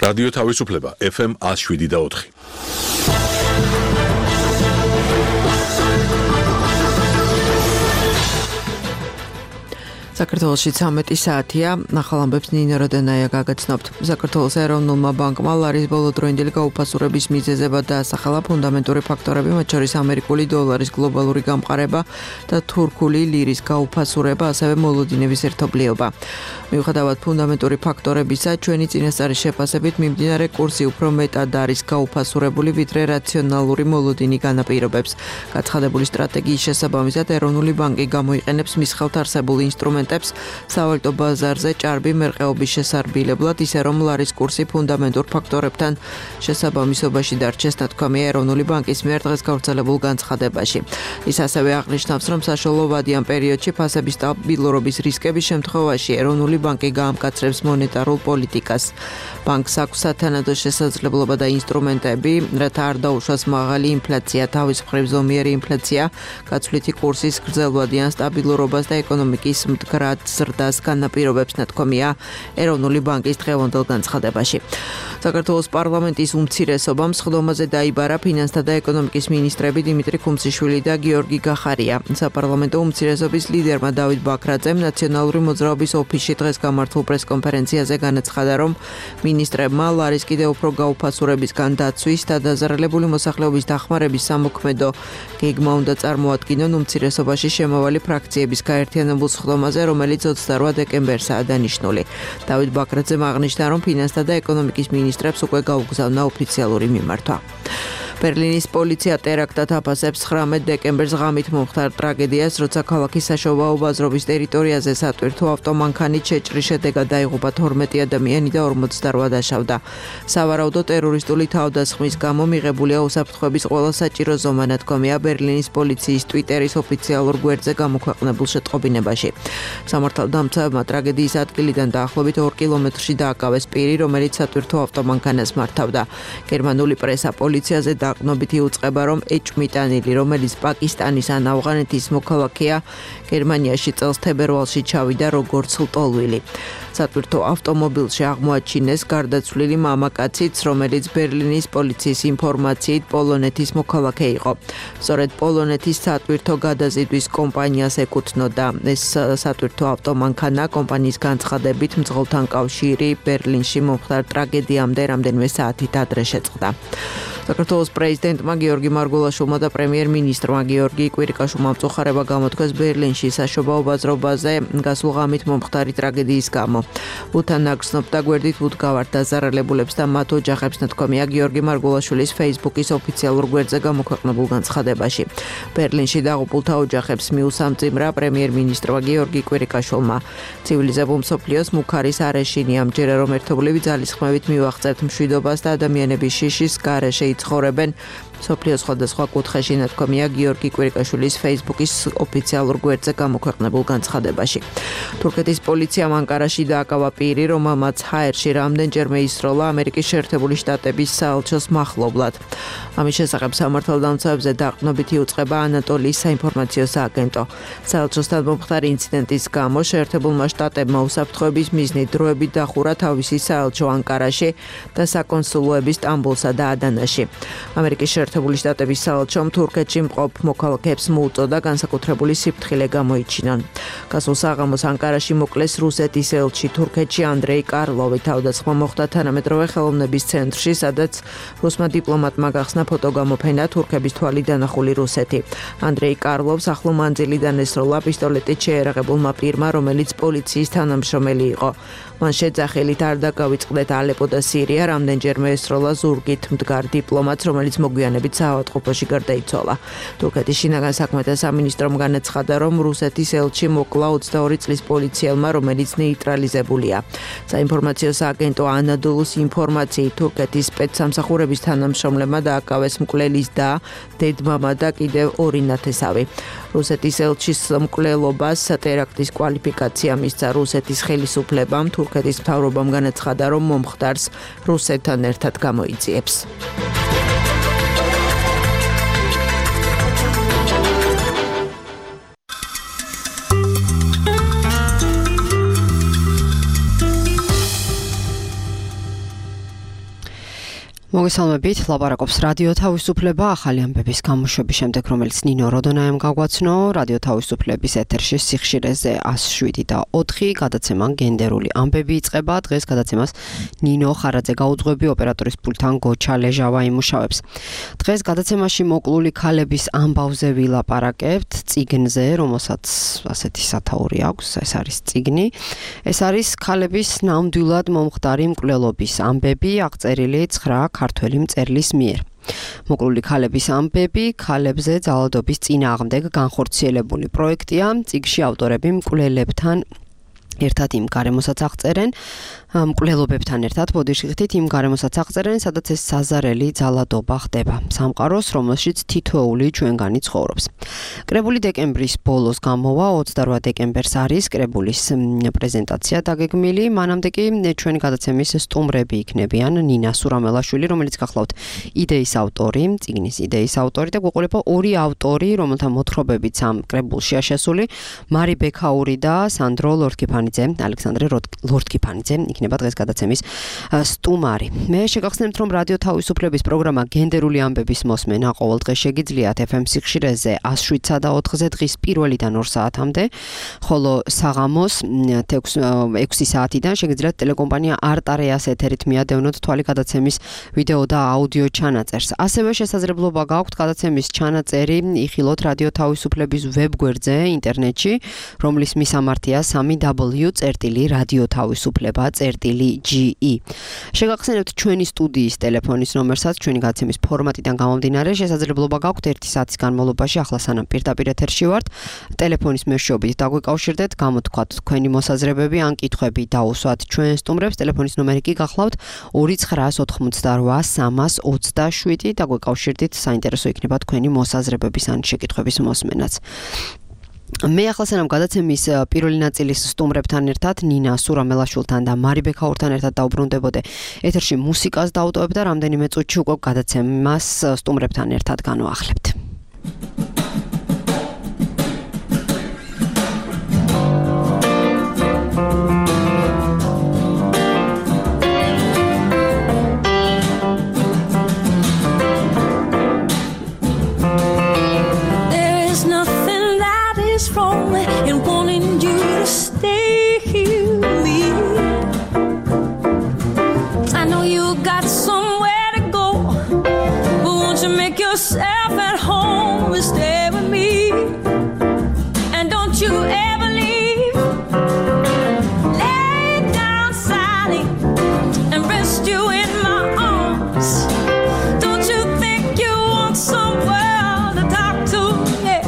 რადიო თავისუფლება FM 107.4. საქართველოში 13 საათია, ახალ ამბებს ნინო როდენაია გაგაცნობთ. საქართველოს ეროვნულმა ბანკმა ლარის ბოლოდროინდელი გაუფასურების მიზეზებად დაასახელა ფუნდამენტური ფაქტორები, მათ შორის ამერიკული დოლარის გლობალური გამყარება და თურქული ლირის გაუფასურება, ასევე მოლოდინების ერთობლიობა. მიუხედავად ფუნდამენტური ფაქტორებისა, ჩვენი წინასწარი შეფასებით მიმდინარე კურსი უფრო მეტად არის გაუფასურებული, ვიდრე რაციონალური მოლოდინი განაპირობებს. გაცხადებული სტრატეგიის შესაბამისად, ეროვნული ბანკი გამოიყენებს მის ხელთ არსებულ ინსტრუმენტებს სავალუტო ბაზარზე ჭარბი მერყეობის შესარბილებლად, ისე რომ ლარის კურსი ფუნდამენტურ ფაქტორებთან შესაბამისობაში დარჩეს, ნათქვამია ეროვნული ბანკის მიერ დღეს გავრცელებულ განცხადებაში. ის ასევე აღნიშნავს, რომ საშუალო ვადიან პერიოდში ფასების სტაბილურობის რისკების შემთხვევაში ეროვნული ბანკი გაამკაცრებს მონეტარულ პოლიტიკას. ბანკს აქვს სათანადო შესაძლებლობა და ინსტრუმენტები, რათა არ დაუშვას მაღალი ინფლაცია, თავის მხრივ ზომიერი ინფლაცია, გაცვლითი კურსის გრძელვადიან სტაბილურობას და ეკონომიკის მდგრად ზრდას განაპირობებს, ნათქვამია ეროვნული ბანკის დღევანდელ განცხადებაში. საქართველოს პარლამენტის უმცირესობამ სხდომაზე დაიბარა ფინანსთა და ეკონომიკის მინისტრები დიმიტრი ქუმციშვილი და გიორგი გახარია. საპარლამენტო უმცირესობის ლიდერმა დავით ბაქრაძემ ნაციონალური მოძრაობის ოფისში დღეს გამართულ პრესკონფერენციაზე განაცხადა, რომ მინისტრებმა ლარის კიდევ უფრო გაუფასურებისგან დაცვის და დაზარალებული მოსახლეობის დახმარების სამოქმედო გეგმა უნდა წარმოადგინონ უმცირესობაში შემავალი ფრაქციების გაერთიანებულ სხდომაზე, რომელიც 28 დეკემბერსაა დანიშნული. დავით ბაქრაძემ აღნიშნა, რომ ფინანსთა და ეკონომიკის მინისტრებს უკვე გაუგზავნა ოფიციალური მიმართვა. ბერლინის პოლიცია ტერაქტად აფასებს 19 დეკემბერს ღამით მომხდარ ტრაგედიას, როცა ქალაქის საშობაო ბაზრობის ტერიტორიაზე სატვირთო ავტომანქანით შეჭრის შედეგად დაიღუპა 12 ადამიანი და 48 დაშავდა. სავარაუდო ტერორისტული თავდასხმის გამო მიღებულია უსაფრთხოების ყველა საჭირო ზომა, ნათქვამია ბერლინის პოლიციის ტვიტერის ოფიციალურ გვერდზე გამოქვეყნებულ შეტყობინებაში. სამართალდამცავებმა ტრაგედიის ადგილიდან დაახლოებით 2 კილომეტრში დააკავეს პირი, რომელიც სატვირთო ავტომანქანას მართავდა. გერმანული პრესა პოლიციაზე დაყრდნობით იუწყება, რომ ეჭვმიტანილი, რომელიც პაკისტანის ან ავღანეთის მოქალაქეა, გერმანიაში წელს თებერვალში ჩავიდა როგორც ლტოლვილი. სატვირთო ავტომობილში აღმოაჩინეს გარდაცვლილი მამაკაციც, რომელიც ბერლინის პოლიციის ინფორმაციით პოლონეთის მოქალაქე იყო. სწორედ პოლონეთის სატვირთო გადაზიდვის კომპანიას ეკუთვნოდა. ეს სატვირთო ავტომანქანა კომპანიის განცხადებით მძღოლთან კავშირი ბერლინში მომხდარ ტრაგედიამდე რამდენიმე საათით ადრე შეწყდა. საქართველოს პრეზიდენტმა გიორგი მარგულაშვილმა და პრემიერ-მინისტრმა გიორგი კვირიკაშვილმა მწუხარება გამოთქვეს ბერლინში საშობაო ბაზრობაზე გასულ ღამით მომხდარი ტრაგედიის გამო. უთან ნაგრძნობდა გვერდით უდგავართ დაზარალებულებს და მათ ოჯახებს, ნათქვამია გიორგი მარგულაშვილის Facebook-ის ოფიციალურ გვერდზე გამოქვეყნებულ განცხადებაში. ბერლინში დაღუპულთა ოჯახებს მიუსამძიმრა პრემიერ-მინისტრმა გიორგი კვირიკაშვილმა. ცივილიზებულ მსოფლიოს მუქარის არეშინია, ამჯერა რომ ერთობლივი ძალისხმევით მივაღწევთ მშვიდობას და ადამიანების შიშის გარეშე ცხოვრებენ. სოფლიოს სხვადასხვა კუთხეში, ნათქვამია გიორგი კვირიკაშვილის Facebook-ის ოფიციალურ გვერდზე გამოქვეყნებულ განცხადებაში. თურქეთის პოლიციამ ანკარაში დააკავა პირი, რომელმაც ჰაერში რამდენჯერმე ისროლა ამერიკის შეერთებული შტატების საელჩოს მახლობლად. ამის შესახებ სამართალდამცავებზე დაყრდნობით იუწყება ანატოლიის საინფორმაციო სააგენტო. საელჩოსთან მომხდარი ინციდენტის გამო შეერთებულმა შტატებმა უსაფრთხოების მიზნით დროებით დახურა თავისი საელჩო ანკარაში და საკონსულოები სტამბოლსა და ადანაში. ამერიკის შეერთებული შტატების საელჩომ თურქეთში მყოფ მოქალაქეებს მოუწოდა განსაკუთრებული სიფრთხილე გამოიჩინონ. გასულ საღამოს ანკარაში მოკლეს რუსეთის ელჩი თურქეთში ანდრეი კარლოვი. თავდასხმა მოხდა თანამედროვე ხელოვნების ცენტრში, სადაც რუსმა დიპლომატმა გახსნა ფოტოგამოფენა თურქების თვალით დანახული რუსეთი. ანდრეი კარლოვს ახლო მანძილიდან ესროლა პისტოლეტით შეერაღებულმა პირმა, რომელიც პოლიციის თანამშრომელი იყო. მან შეძახილით არ დაგავიწყდეთ ალეპო და სირია, რამდენჯერმე ესროლა ზურგით მდგარ დიპლომატს, რომელიც მოგვიანებით საავადმყოფოში გარდაიცვალა. თურქეთის შინაგან საქმეთა სამინისტრომ განაცხადა, რომ რუსეთის ელჩი მოკლა 22 წლის პოლიციელმა, რომელიც ნეიტრალიზებულია. საინფორმაციო სააგენტო ანადოლუს ინფორმაციით თურქეთის სპეცსამსახურების თანამშრომლებმა დააკავეს მკვლელის და დედმამა და კიდევ 2 ნათესავი. რუსეთის ელჩის მკვლელობას ტერაქტის კვალიფიკაცია მისცა რუსეთის ხელისუფლებამ. თურქეთის მთავრობამ განაცხადა, რომ მომხდარს რუსეთთან ერთად გამოიძიებს. მოგესალმებით, ლაპარაკობს რადიო თავისუფლება ახალი ამბების გამოშვების შემდეგ, რომელიც ნინო როდონაემ გაგვაცნო. რადიო თავისუფლების ეთერში სიხშირეზე 107.4 გადაცემა გენდერული ამბები იწყება. დღეს გადაცემას ნინო ხარაძე გაუძღვები, ოპერატორის პულტთან გოჩა ლეჟავა იმუშავებს. დღეს გადაცემაში მოკლული ქალების ამბავზე ვილაპარაკებთ, წიგნზე, რომელსაც ასეთი სათაური აქვს, ეს არის წიგნი. ეს არის ქალების ნამდვილად მომხდარი მკვლელობის ამბები, აღწერილი 9 ქართველი მწერლის მიერ. მოკლული ქალების ამბები ქალებზე ძალადობის წინააღმდეგ განხორციელებული პროექტია. წიგნში ავტორები მკვლელებთან ერთად იმ გარემოსაც აღწერენ, მკვლელობებთან ერთად ბოდიშხით იმ გარემოსაც აღწერენ, სადაც ეს საზარელი ძალადობა ხდება. სამყაროს, რომელშიც თითოეული ჩვენგანი ცხოვრობს. კრებული დეკემბრის ბოლოს გამოვა, 28 დეკემბერს არის კრებულის პრეზენტაცია დაგეგმილი. მანამდე კი ჩვენი გადაცემის სტუმრები იქნებიან ნინა სურამელაშვილი, რომელიც გახლავთ იდეის ავტორი, წიგნის იდეის ავტორი და გვეყოლება ორი ავტორი, რომელთა მოთხრობებიც ამ კრებულშია შესული, მარი ბექაური და სანდრო ლორთქიფანიძე, ალექსანდრე ლორთქიფანიძე იქნება დღეს გადაცემის სტუმარი. მე შეგახსენებთ, რომ რადიო თავისუფლების პროგრამა გენდერული ამბების მოსმენა ყოველ დღე შეგიძლიათ FM სიხშირეზე 107.4-ზე დღის 1-დან 2 საათამდე, ხოლო საღამოს 6 საათიდან შეგიძლიათ ტელეკომპანია არტარეას ეთერით მიადევნოთ თვალი გადაცემის ვიდეო და აუდიო ჩანაწერს. ასევე შესაძლებლობა გაქვთ გადაცემის ჩანაწერი იხილოთ რადიო თავისუფლების ვებგვერდზე ინტერნეტში, რომლის მისამართია www.radiotavisufleba.ge. შეგახსენებთ ჩვენი სტუდიის ტელეფონის ნომერსაც, ჩვენი გადაცემის ფორმატიდან გამომდინარე, შესაძლებლობა გაქვთ 1 საათის განმავლობაში, ახლა სანამ პირდაპირ ეთერში ვართ, ტელეფონის მეშვეობით დაგვიკავშირდეთ, გამოთქვათ თქვენი მოსაზრებები ან კითხვები დაუსვათ ჩვენ სტუმრებს. ტელეფონის ნომერი კი გახლავთ 2988 327 დაგვიკავშირდით, საინტერესო იქნება თქვენი მოსაზრებების ან შეკითხვების მოსმენაც. მე ახლა სანამ გადაცემის პირველი ნაწილის სტუმრებთან ერთად ნინა სურამელაშვილთან და მარი ბექაურთან ერთად დაუბრუნდებოდე, ეთერში მუსიკას დავტოვებ და რამდენიმე წუთში უკვე გადაცემას სტუმრებთან ერთად განვახლებთ. Yourself at home and stay with me, and don't you ever leave. Lay down, Sally, and rest you in my arms. Don't you think you want someone to talk to? Yeah.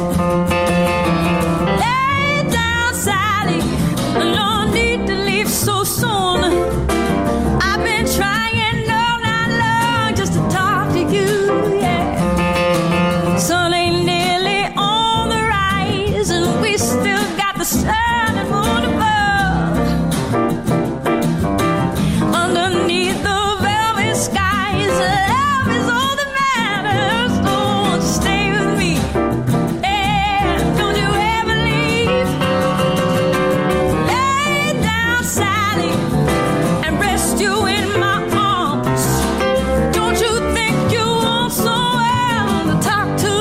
Lay down, Sally, no need to leave so soon. I've been trying all night long just to talk to you. Sun ain't nearly on the rise, and we still got the sun and moon above. Underneath the velvet skies, love is all that matters. Don't stay with me, and don't you ever leave. Lay down, Sally, and rest you in my arms. Don't you think you want someone to talk to?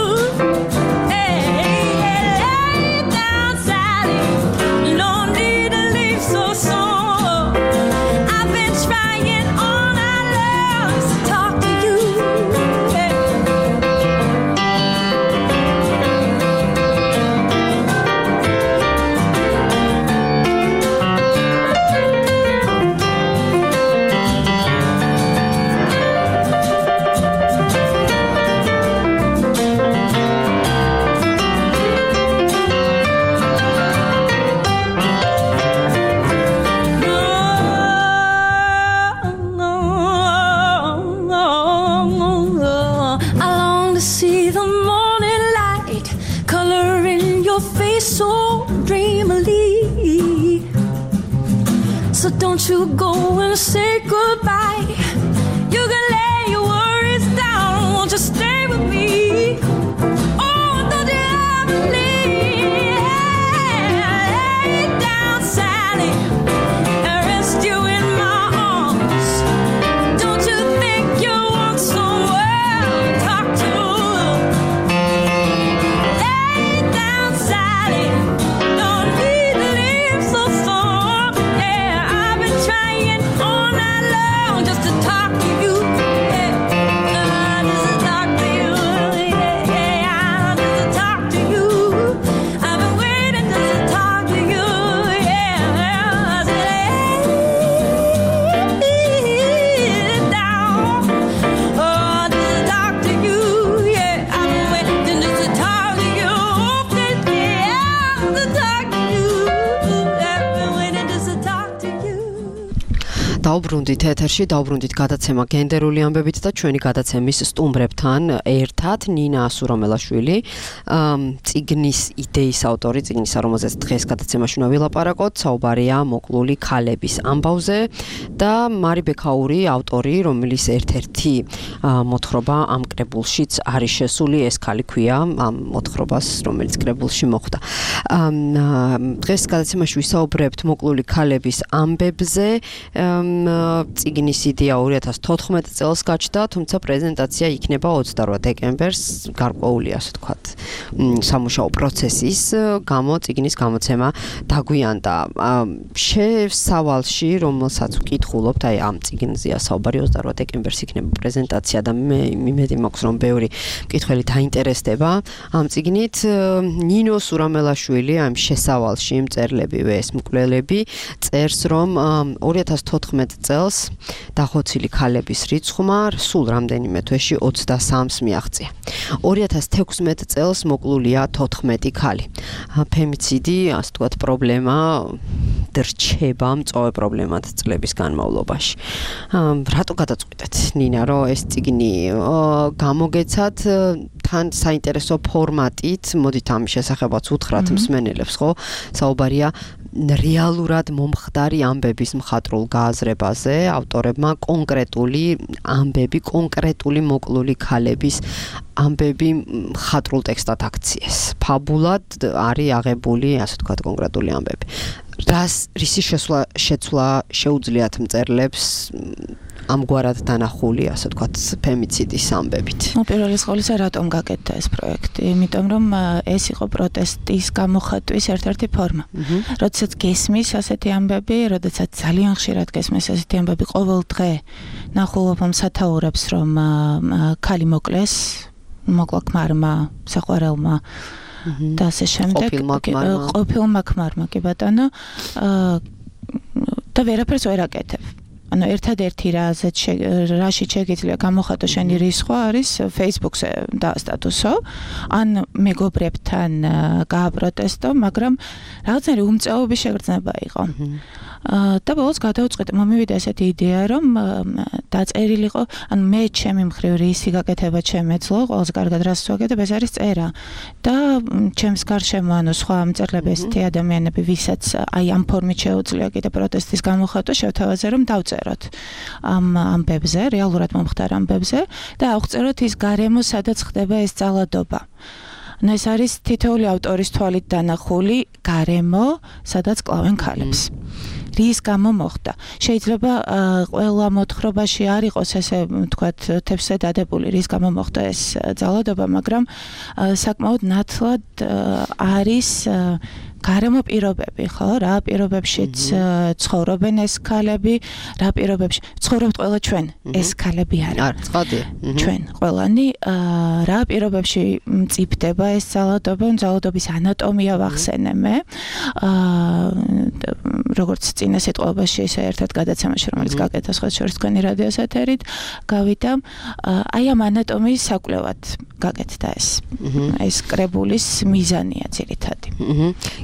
So don't you go and say goodbye. You can lay your worries down. Won't you stay with me? Oh, don't you ever leave. Lay down, Sally, and rest you in my arms. Don't you think you want დაუბრუნდით ეთერში, დაუბრუნდით გადაცემა გენდერული ამბებით და ჩვენი გადაცემის სტუმრებთან ერთად ნინა ასურამელაშვილი, წიგნის იდეის ავტორი, წიგნისა, რომელზეც დღეს გადაცემაში უნდა ვილაპარაკოთ, საუბარია მოკლული ქალების ამბავზე და მარი ბექაური, ავტორი, რომელიც ერთ-ერთი მოთხრობა ამ კრებულშიც არის შესული, ეს ქალი ქვია ამ მოთხრობას, რომელიც კრებულში მოხვდა. დღეს გადაცემაში ვისაუბრებთ მოკლული ქალების ამბებზე. წიგნის იდეა 2014 წელს გაჩნდა, თუმცა პრეზენტაცია იქნება 28 დეკემბერს, გარკვეული ასე ვთქვათ, სამუშაო პროცესის გამო წიგნის გამოცემა დაგვიანდა. შესავალში, რომელსაც ვკითხულობთ, აი ამ წიგნზეა საუბარი, 28 დეკემბერს იქნება პრეზენტაცია და მე იმედი მაქვს, რომ ბევრი მკითხველი დაინტერესდება ამ წიგნით. ნინო სურამელაშვილი ამ შესავალში მწერლებივე ეს მკვლელები წერს, რომ 2014 წელს დახოცილი ქალების რიცხვმა სულ რამდენიმე თვეში 23-ს მიაღწია. 2016 წელს მოკლულია 14 ქალი. ფემიციდი, ასე ვთქვათ, პრობლემა რჩება მწვავე პრობლემად წლების განმავლობაში. რატო გადაწყვიტეთ, ნინა, რომ ეს წიგნი გამოგეცათ თან საინტერესო ფორმატით, მოდით ამის შესახებაც უთხრათ მსმენელებს, ხო? საუბარია რეალურად მომხდარი ამბების მხატვრულ გააზრებაზე, ავტორებმა კონკრეტული ამბები, კონკრეტული მოკლული ქალების ამბები მხატვრულ ტექსტად აქციეს. ფაბულად არის აღებული, ასე ვთქვათ, კონკრეტული ამბები. რისი შეცვლა შეუძლიათ მწერლებს ამგვარად დანახული, ასე ვთქვათ, ფემიციდის ამბებით. პირველი ყოვლისა, რატომ გაკეთდა ეს პროექტი? იმიტომ რომ ეს იყო პროტესტის გამოხატვის ერთ-ერთი ფორმა. როდესაც გესმის ასეთი ამბები, როდესაც ძალიან ხშირად გესმის ასეთი ამბები ყოველ დღე ნახულობ მსათაურებს, რომ ქალი მოკლეს, მოკლა ქმარმა, საყვარელმა და ასე შემდეგ. ყოფილმა ქმარმა, კი ბატონო, და ვერაფერს ვერ აკეთებ. ანუ ერთადერთი რაში შეგიძლია გამოხატო შენი რისხვა არის Facebook-ზე დაასტატუსო, ან მეგობრებთან გააპროტესტო, მაგრამ რაღაცნაირი უმწეობის შეგრძნება იყო. და ბოლოს გადავწყვიტე, მომივიდა ესეთი იდეა, რომ დაწერილიყო, ანუ მე ჩემი მხრივ რისი გაკეთება შემეძლო, ყველაზე კარგად რას ვაკეთებ, ეს არის წერა. და ჩემს გარშემო, ანუ სხვა მწერლები, ესეთი ადამიანები, ვისაც აი ამ ფორმით შეუძლია კიდე პროტესტის გამოხატვა, შევთავაზე, რომ დავწეროთ ამ ამბებზე, რეალურად მომხდარ ამბებზე და ავღწეროთ ის გარემო, სადაც ხდება ეს ძალადობა. ანუ ეს არის თითოეული ავტორის თვალით დანახული გარემო, სადაც კლავენ ქალებს. რის გამო მოხდა. შეიძლება ყველა მოთხრობაში არ იყოს ესე, ვთქვათ, თებსე დადებული, რის გამო მოხდა ეს ძალადობა, მაგრამ საკმაოდ ნათლად არის გარემო პირობები, ხო? რა პირობებშიც ცხოვრობენ ეს ქალები, რა პირობებში ცხოვრობთ ყველა ჩვენ, ეს ქალები არა. ჩვენ ყველანი რა პირობებში მწიფდება ეს ძალადობა, ძალადობის ანატომია ვახსენე მე. როგორც წინა სიტყვაში, ისე ერთად გადაცემაში, რომელიც გაკეთდა სხვა შორის თქვენი რადიოს ეთერით, გავიდა, აი ამ ანატომიის საკვლევად გაკეთდა ეს. ეს კრებულის მიზანია ძირითადი.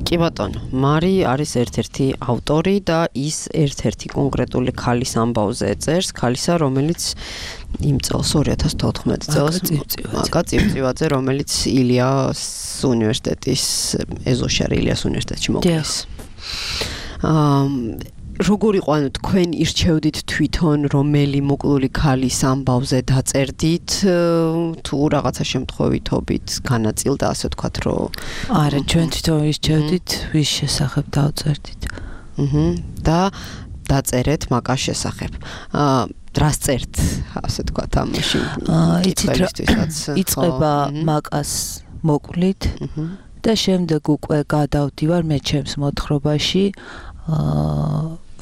კი ბატონო, მარი არის ერთ-ერთი ავტორი და ის ერთ-ერთი კონკრეტული ქალის ამბავზე წერს, ქალისა, რომელიც იმ წელს 2014 წელს მაკა წივწივაძე, რომელიც ილიას უნივერსიტეტის ეზოშარი ილიას უნივერსიტეტში მოკლეს. როგორ იყო, ანუ თქვენ ირჩევდით თვითონ რომელი მოკლული ქალის ამბავზე დაწერდით, თუ რაღაცა შემთხვევითობით განაწილდა, ასე ვთქვათ, რომ არა, ჩვენ თვითონ ირჩევდით, ვის შესახებ დავწერდით. და დაწერეთ მაკას შესახებ. რას წერთ, ასე ვთქვათ, ამაში? იწყება მაკას მოკლით და შემდეგ უკვე გადავდივარ მე ჩემს მოთხრობაში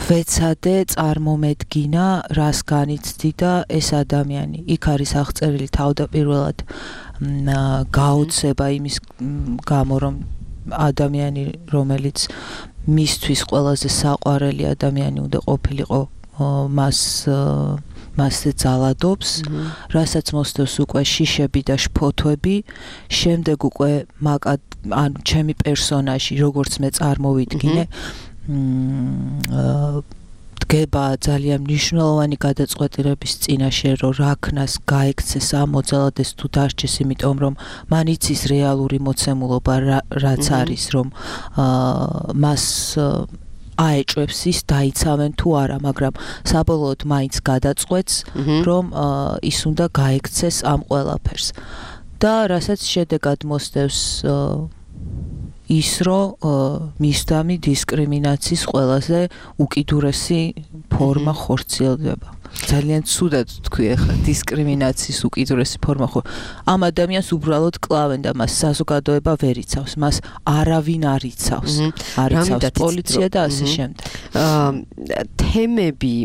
ვეცადე წარმომედგინა, რას განიცდი და ეს ადამიანი. იქ არის აღწერილი თავდაპირველად გაოცება იმის გამო, რომ ადამიანი, რომელიც მისთვის ყველაზე საყვარელი ადამიანი უნდა ყოფილიყო, მასზე ძალადობს, რასაც მოსდევს უკვე შიშები და შფოთვები, შემდეგ უკვე ანუ ჩემი პერსონაჟი, როგორც მე წარმოვიდგინე, დგება ძალიან მნიშვნელოვანი გადაწყვეტილების წინაშე, რომ რა ქნას გაექცეს ამ მოძალადეს თუ დარჩეს, იმიტომ რომ მან იცის რეალური მოცემულობა რაც არის, რომ მას აეჭვებს ის დაიცავენ თუ არა, მაგრამ საბოლოოდ მაინც გადაწყვეტს, რომ ის უნდა გაექცეს ამ ყველაფერს. და რასაც შედეგად მოსდევს ის, რომ მისდამი დისკრიმინაციის ყველაზე უკიდურესი ფორმა ხორციელდება. ძალიან ცუდად თქვი ახლა დისკრიმინაციის უკიდურესი ფორმა ხო ამ ადამიანს უბრალოდ კლავენ და მას საზოგადოება ვერ იცავს, მას არავინ არ იცავს. არ იცავს პოლიცია და ასე შემდეგ. თემები,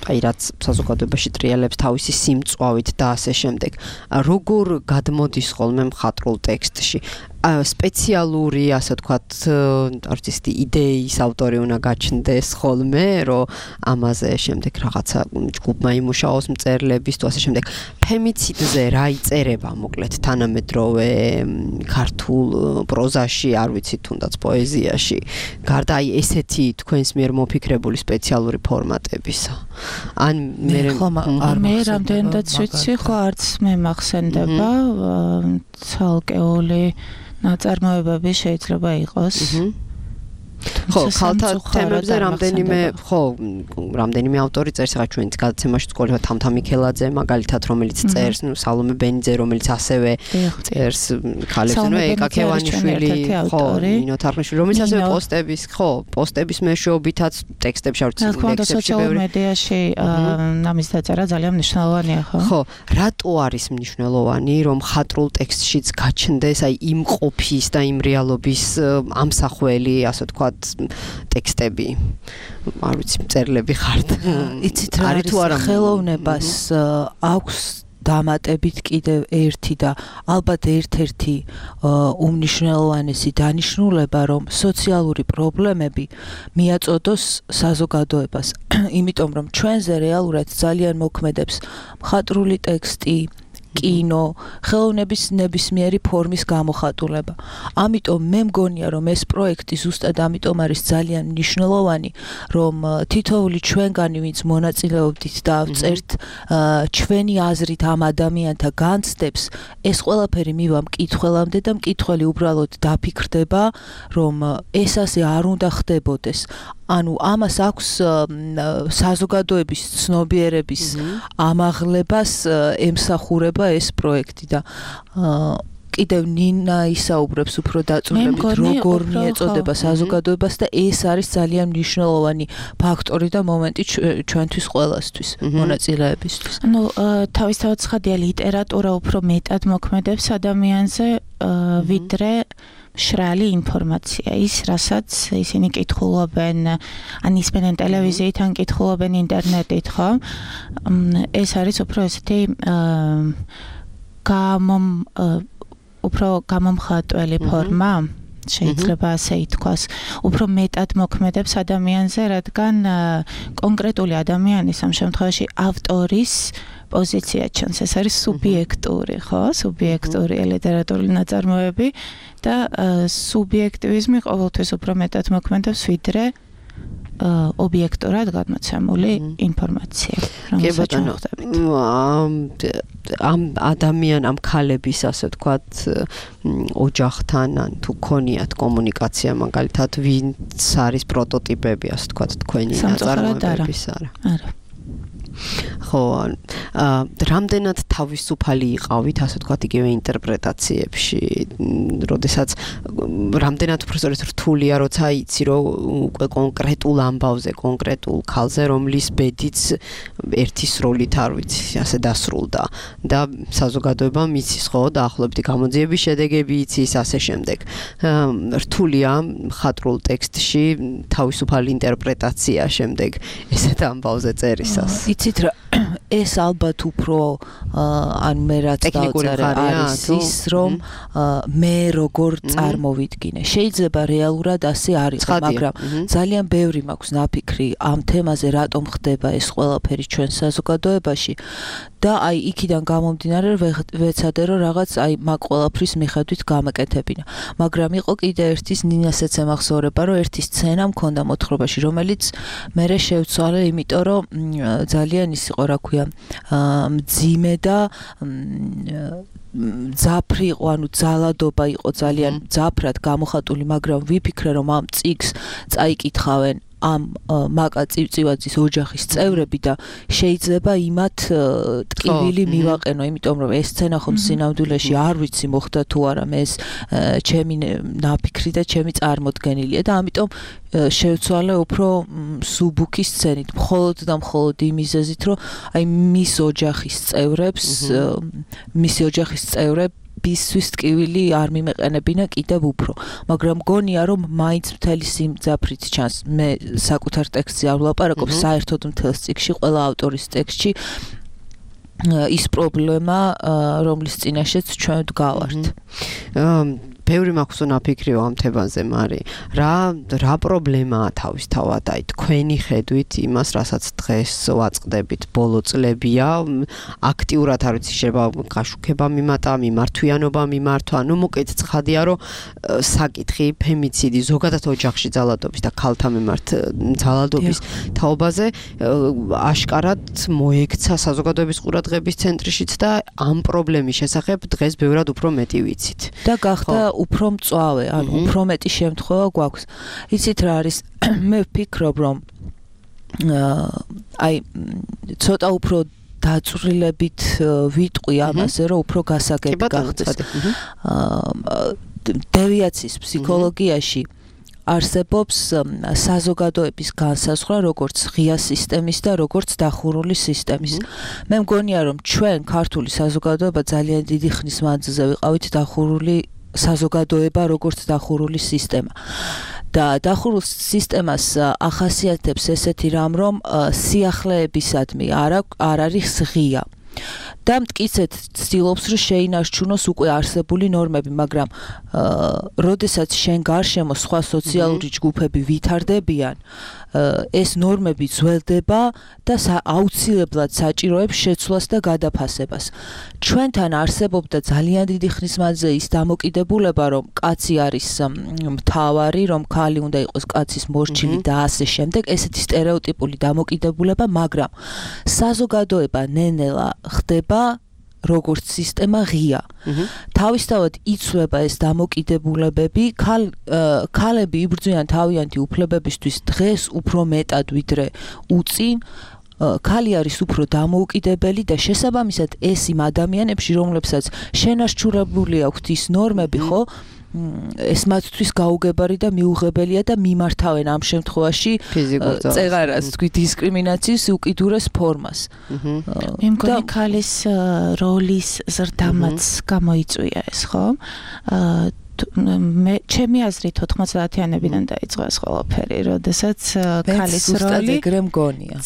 აი რაც საზოგადოებაში ტრიალებს თავისი სიმწვავით და ასე შემდეგ. როგორ გადმოდის ხოლმე მხატვრულ ტექსტში? სპეციალური, ასე ვთქვათ, არტისტი იდეის ავტორი უნდა გაჩნდეს ხოლმე, რომ ამაზე შემდეგ რაღაცა ჯგუფმა იმუშაოს მწერლების თუ ასე შემდეგ. ფემიციდზე რა იწერება მოკლედ თანამედროვე ქართულ პროზაში, არ ვიცი, თუნდაც პოეზიაში, гарда აი ესეთი თქვენს მიერ მოფიქრებული სპეციალური ფორმატებისა. ან მე რამდენადაც ვიცი, ხო არც მე მახსენდება ცალკეული ნაწარმოებები შეიძლება იყოს. ხო, ქალთა თემებზე რამდენიმე ავტორი წერს, ახლა ჩვენც გადაცემაში ვსკოლება თამთა მიქელაძე, მაგალითად, რომელიც წერს, სალომე ბენიძე, რომელიც ასევე წერს ქალებს, ეკა ქევანიშვილი, ხო, ნინო თარხნიშვილი, რომელიც ასევე პოსტების მეშვეობითაც ტექსტებში არ ვიცი, ლექსებში სოციალურ მედიაში ამის დაწერა ძალიან მნიშვნელოვანია, ხო? ხო, რატო არის მნიშვნელოვანი, რომ მხატვრულ ტექსტშიც გაჩნდეს აი იმ ყოფის და იმ რეალობის ამსახველი, ასე ვთქვათ, ტექსტები, არ ვიცი, მწერლები ხართ. იცით რა არის ხელოვნებას აქვს დამატებით კიდევ ერთი და ალბათ ერთ-ერთი უმნიშვნელოვანესი დანიშნულება, რომ სოციალური პრობლემები მიაწოდოს საზოგადოებას, იმიტომ რომ ჩვენზე რეალურად ძალიან მოქმედებს მხატვრული ტექსტი, კინო, ხელოვნების ნებისმიერი ფორმის გამოხატულება. ამიტომ მე მგონია, რომ ეს პროექტი ზუსტად ამიტომ არის ძალიან მნიშვნელოვანი, რომ თითოეული ჩვენგანი, ვინც მონაწილეობდით და წერთ ჩვენი აზრით ამ ადამიანთა განცდებს, ეს ყველაფერი მივა მკითხველამდე და მკითხველი უბრალოდ დაფიქრდება, რომ ეს ასე არ უნდა ხდებოდეს. ანუ ამას აქვს საზოგადოების ცნობიერების ამაღლებას ემსახურება ეს პროექტი და კიდევ ნინა ისაუბრებს უფრო დაწვრილებით, როგორ მიეწოდება საზოგადოებას და ეს არის ძალიან მნიშვნელოვანი ფაქტორი და მომენტი ჩვენთვის ყველასთვის, მონაწილეებისთვის. ანუ თავისთავად ცხადია, ლიტერატურა უფრო მეტად მოქმედებს ადამიანზე, ვიდრე მშრალი ინფორმაცია, ის რასაც ისინი კითხულობენ, ან ისმენენ ტელევიზიით, ან კითხულობენ ინტერნეტით, ხო? ეს არის უფრო ესეთი უფრო გამომხატველი ფორმა, შეიძლება ასე ითქვას, უფრო მეტად მოქმედებს ადამიანზე, რადგან კონკრეტული ადამიანის ამ შემთხვევაში ავტორის პოზიცია ჩანს, ეს არის სუბიექტური, ხო? სუბიექტური ლიტერატურული ნაწარმოები და სუბიექტივიზმი ყოველთვის უფრო მეტად მოქმედებს, ვიდრე ობიექტურად გადმოცემული ინფორმაცია. კი ბატონო, ამ ამ ქალების, ასე ვთქვათ, ოჯახთან ან თუ ქონიათ კომუნიკაცია, მაგალითად, ვინც არის პროტოტიპები, ასე ვთქვათ, თქვენი ნაწარმოებების, არა. ხო, რამდენად თავისუფალი იყავით, ასე ვთქვათ, იგივე ინტერპრეტაციებში, როდესაც რამდენად უფრო სწორედ რთულია, როცა იცი, რომ უკვე კონკრეტულ ამბავზე, კონკრეტულ ქალზე, რომლის ბედიც ერთი სროლით არ ვიცი, ასე დასრულდა და საზოგადოებამ იცის, ხო, დაახლოებით გამოძიების შედეგები იცის, ასე შემდეგ. რთულია მხატვრულ ტექსტში თავისუფალი ინტერპრეტაცია შემდეგ ესეთ ამბავზე წერისას. იცით რა, ეს ალბათ უფრო ან მე რაც დავწერე არის ის რომ მე როგორ წარმოვიდგინე. შეიძლება რეალურად ასე არ იყოს, მაგრამ ძალიან ბევრი მაქვს ნაფიქრი ამ თემაზე რატომ ხდება ეს ყველაფერი ჩვენ საზოგადოებაში და აი იქიდან გამომდინარე ვეცადე რომ რაღაც აი მაგ ყველაფრის მიხედვით გამეკეთებინა. მაგრამ იყო კიდე ერთის ნინასაც ემახსოვრება რომ ერთი სცენა მქონდა მოთხრობაში რომელიც მერე შევცვალე იმიტომ რომ ძალიან ის იყო რა ქვია მძიმე და ძაფრი იყო, ანუ ძალადობა იყო ძალიან ძაფრად გამოხატული, მაგრამ ვიფიქრე რომ ამ წიგს წაიკითხავენ ამ მაკა წივწივაძის ოჯახის წევრები და შეიძლება იმათ ტკივილი მივაყენო, იმიტომ რომ ეს სცენა ხომ სინამდვილეში არ ვიცი მოხდა თუ არა, მე ეს ჩემი ნაფიქრი და ჩემი წარმოდგენილია და ამიტომ შევცვალე უფრო სუბუქი სცენით, მხოლოდ და მხოლოდ იმ მიზეზით, რომ აი მისი ოჯახის წევრებისთვის ტკივილი არ მიმეყენებინა კიდევ უფრო, მაგრამ მგონია რომ მაინც მთელი სიმძაფრით ჩანს. მე საკუთარ ტექსტზე არ ვლაპარაკობ, საერთოდ მთელ წიგში, ყველა ავტორის ტექსტში ის პრობლემა, რომლის წინაშეც ჩვენ ვდგავართ. ბევრი მაქვს ნაფიქრი ამ თემაზე, მარი. რა პრობლემაა თავისთავად აი თქვენი ხედვით იმას, რასაც დღეს ვაწყდებით, ბოლო წლებია, აქტიურად არ ვიცი, შეიძლება გაშუქება მიმატა, მიმართვიანობა მიმართვა, ну მოკეთ ცხადია, რომ საკითხი ფემიციდი, ზოგადად ოჯახში ძალადობის და ქალთა მიმართ ძალადობის თაობაზე აშკარად მოექცა საზოგადოების ყურადღების ცენტრშიც და ამ პრობლემის შესახებ დღეს ბევრად უფრო მეტი ვიცით. და გახდა უფრო მწვავე, ანუ უფრო მეტი შემთხვევა გვაქვს. იცით რა არის? მე ვფიქრობ, რომ აი ცოტა უფრო დაწვრილებით ვიტყვი ამაზე, რომ უფრო გასაგები გახდეს. დევიაციის ფსიქოლოგიაში არსებობს საზოგადოების განსაზღვრა როგორც ღია სისტემის და როგორც დახურული სისტემის. მე მგონია რომ ჩვენ ქართული საზოგადოება ძალიან დიდი ხნის მანძილზე ვიყავით დახურული საზოგადოება როგორც დახურული სისტემა. და დახურულ სისტემას ახასიათებს ესეთი რამ, რომ სიახლეებისადმი არ არის ღია. და მტკიცედ ცდილობს რომ შეინარჩუნოს უკვე არსებული ნორმები, მაგრამ როდესაც შენ გარშემო სხვა სოციალური ჯგუფები ვითარდებიან, ეს ნორმები ძველდება და აუცილებლად საჭიროებს შეცვლას და გადაფასებას. ჩვენთან არსებობდა ძალიან დიდი ხნის მანძილზე ის დამოკიდებულება, რომ კაცი არის მთავარი, რომ ქალი უნდა იყოს კაცის მორჩილი და ასე შემდეგ, ესეთი სტერეოტიპული დამოკიდებულება, მაგრამ საზოგადოება ნენელა ხდება როგორც სისტემა ღია. თავისთავად იცვლება ეს დამოკიდებულებები, ქალები იბრძვიან თავიანთი უფლებებისთვის დღეს უფრო მეტად ვიდრე უწინ, ქალი არის უფრო დამოუკიდებელი და შესაბამისად ეს იმ ადამიანებში, რომლებსაც შენარჩუნებული აქვთ ის ნორმები, ხო? ეს მათთვის გაუგებარი და მიუღებელია და მიმართავენ ამ შემთხვევაში წეღარას, თქვი დისკრიმინაციის უკიდურეს ფორმას. მე მგონი ქალის როლის ზრდამაც გამოიწვია ეს, ხო? ჩემი აზრით 90-იანებიდან დაიწყო ეს ყველაფერი, როდესაც ქალის როლი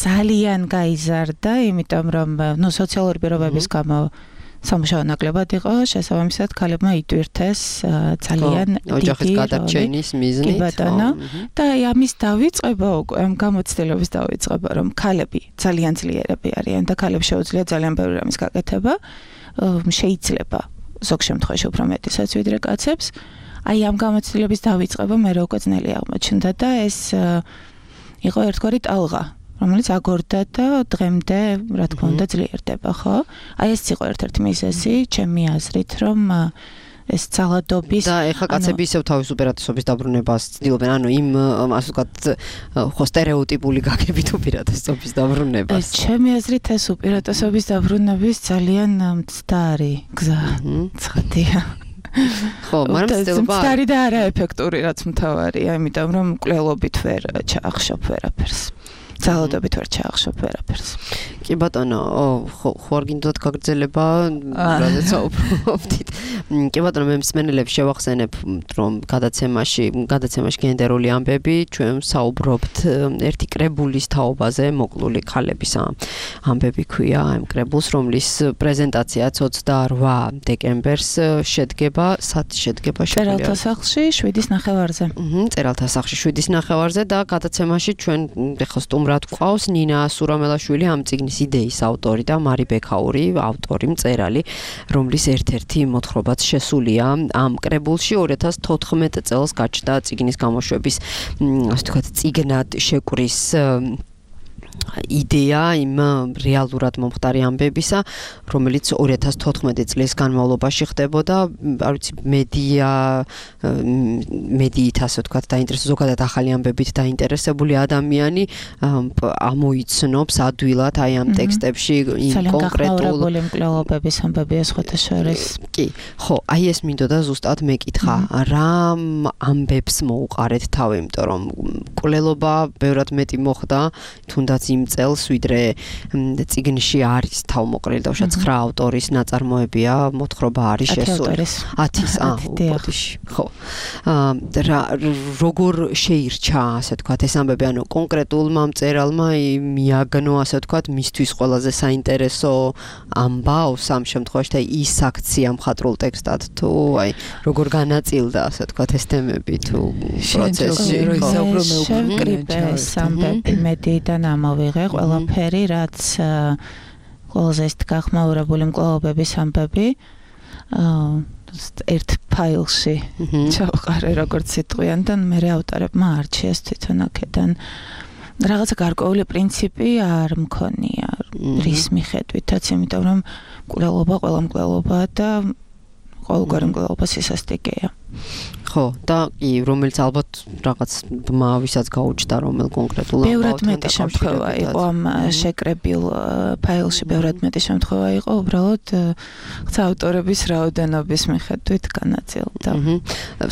ძალიან გაიზარდა, იმიტომ რომ სოციალური პირობების გამო სამუშაო ნაკლებად იყო, შესაბამისად ქალებმა იტვირთეს ძალიან დიდი ოჯახის გადარჩენის მიზნით. და ამის დავიწყება უკვე, ამ გამოცდილების დავიწყება, რომ ქალები ძალიან ძლიერები არიან და ქალებს შეუძლიათ ძალიან ბევრი რამის გაკეთება, შეიძლება ზოგ შემთხვევაში უფრო მეტისაც ვიდრე კაცებს. აი ამ გამოცდილების დავიწყება მე უკვე ძნელი აღმოჩნდა და ეს იყო ერთგვარი ტალღა, რომელიც აგორდა და დღემდე რა თქმა უნდა ძლიერდება, ხო? აი ეს იყო ერთ-ერთი მიზეზი, ჩემი აზრით, რომ ეს ძალადობის და ეხლა კაცები ისევ თავის უპირატესობის დაბრუნებას ცდილობენ, ანუ იმ ასე ვთქვათ, ხო სტერეოტიპული გაგებით უპირატესობის დაბრუნებას. ჩემი აზრით ეს უპირატესობის დაბრუნების ძალიან მცდარი გზა. ცხადია. ხო, მაგრამ მცდარი და არაეფექტური რაც მთავარია, იმიტომ რომ მკვლელობით ვერ ჩაახშობ ვერაფერს. ძალადობით ვერ ჩაახშობ ვერაფერს. კი ბატონო, ხო არ გინდათ გაგრძელება, რადგან საუბრობთ. კი ბატონო, მე მსმენელებს შევახსენებ, რომ გადაცემაში გენდერული ამბები, ჩვენ საუბრობთ ერთი კრებულის თაობაზე, მოკლული ქალების ამბები ქვია ამ კრებულს, რომლის პრეზენტაცია 28 დეკემბერს შედგება, სად შედგება? წერალთა სახლში 7:30-ზე. წერალთა სახლში 7:30-ზე და გადაცემაში ჩვენ ეხლა სტუმრად გვყავს ნინა სურამელაშვილი, ამ წიგნის იდეის ავტორი და მარი ბექაური, ავტორი, მწერალი, რომლის ერთ-ერთი მოთხრობაც შესულია ამ კრებულში 2014 წელს გაჩნდა წიგნის გამოშვების, ასე ვთქვათ, წიგნად შეკვრის იდეა იმ რეალურად მომხდარი ამბებისა, რომელიც 2014 წლის განმავლობაში ხდებოდა, არ ვიცი, მედიით ასე ვთქვათ, ზოგადად ახალი ამბებით დაინტერესებული ადამიანი ამოიცნობს ადვილად აი ამ ტექსტებში იმ კონკრეტულ მკვლელობების ამბებია სხვათა შორის. კი, ხო, აი ეს მინდოდა ზუსტად მეკითხა, რა ამბებს მოუყარეთ თავი, იმიტომ რომ მკვლელობა ბევრად მეტი მოხდა, თუნდაც იმ წელს ვიდრე წიგნში არის თავმოყრილი და უშუალოდ 9 ავტორის ნაწარმოებია, მოთხრობა არის შესული. 10-ის, ხო. როგორ შეირჩა, ასე ვთქვათ, ეს ამბები, ანუ კონკრეტულმა მწერალმა მიაგნო, ასე ვთქვათ, მისთვის ყველაზე საინტერესო ამბავს ამ შემთხვევაში და ის აქცია მხატვრულ ტექსტად თუ აი როგორ განაწილდა, ასე ვთქვათ, ეს თემები თუ პროცესში. შევკრიბეს ამბები მედიიდან ამოვიღე ყველაფერი, რაც ყველაზე ის გახმაურებული მკვლელობების ამბები ერთ ფაილში ჩავყარე როგორც სიტყვიან და მე ავტორებმა არჩიეს თვითონ აქედან რაღაცა გარკვეული პრინციპი არ მქონია რის მიხედვითაც, იმიტომ რომ მკვლელობა ყველა მკვლელობაა და ყოველგვარი მკვლელობა სისასტიკეა. ხო, და რომელიც ალბათ რაღაც ბმა ვისაც გაუჩნდა რომელ კონკრეტულ ამბავთან. ბევრად მეტი შემთხვევა იყო ამ შეკრებილ ფაილში, ბევრად მეტი შემთხვევა იყო, უბრალოდ ავტორების რაოდენობის მიხედვით განაწილდა.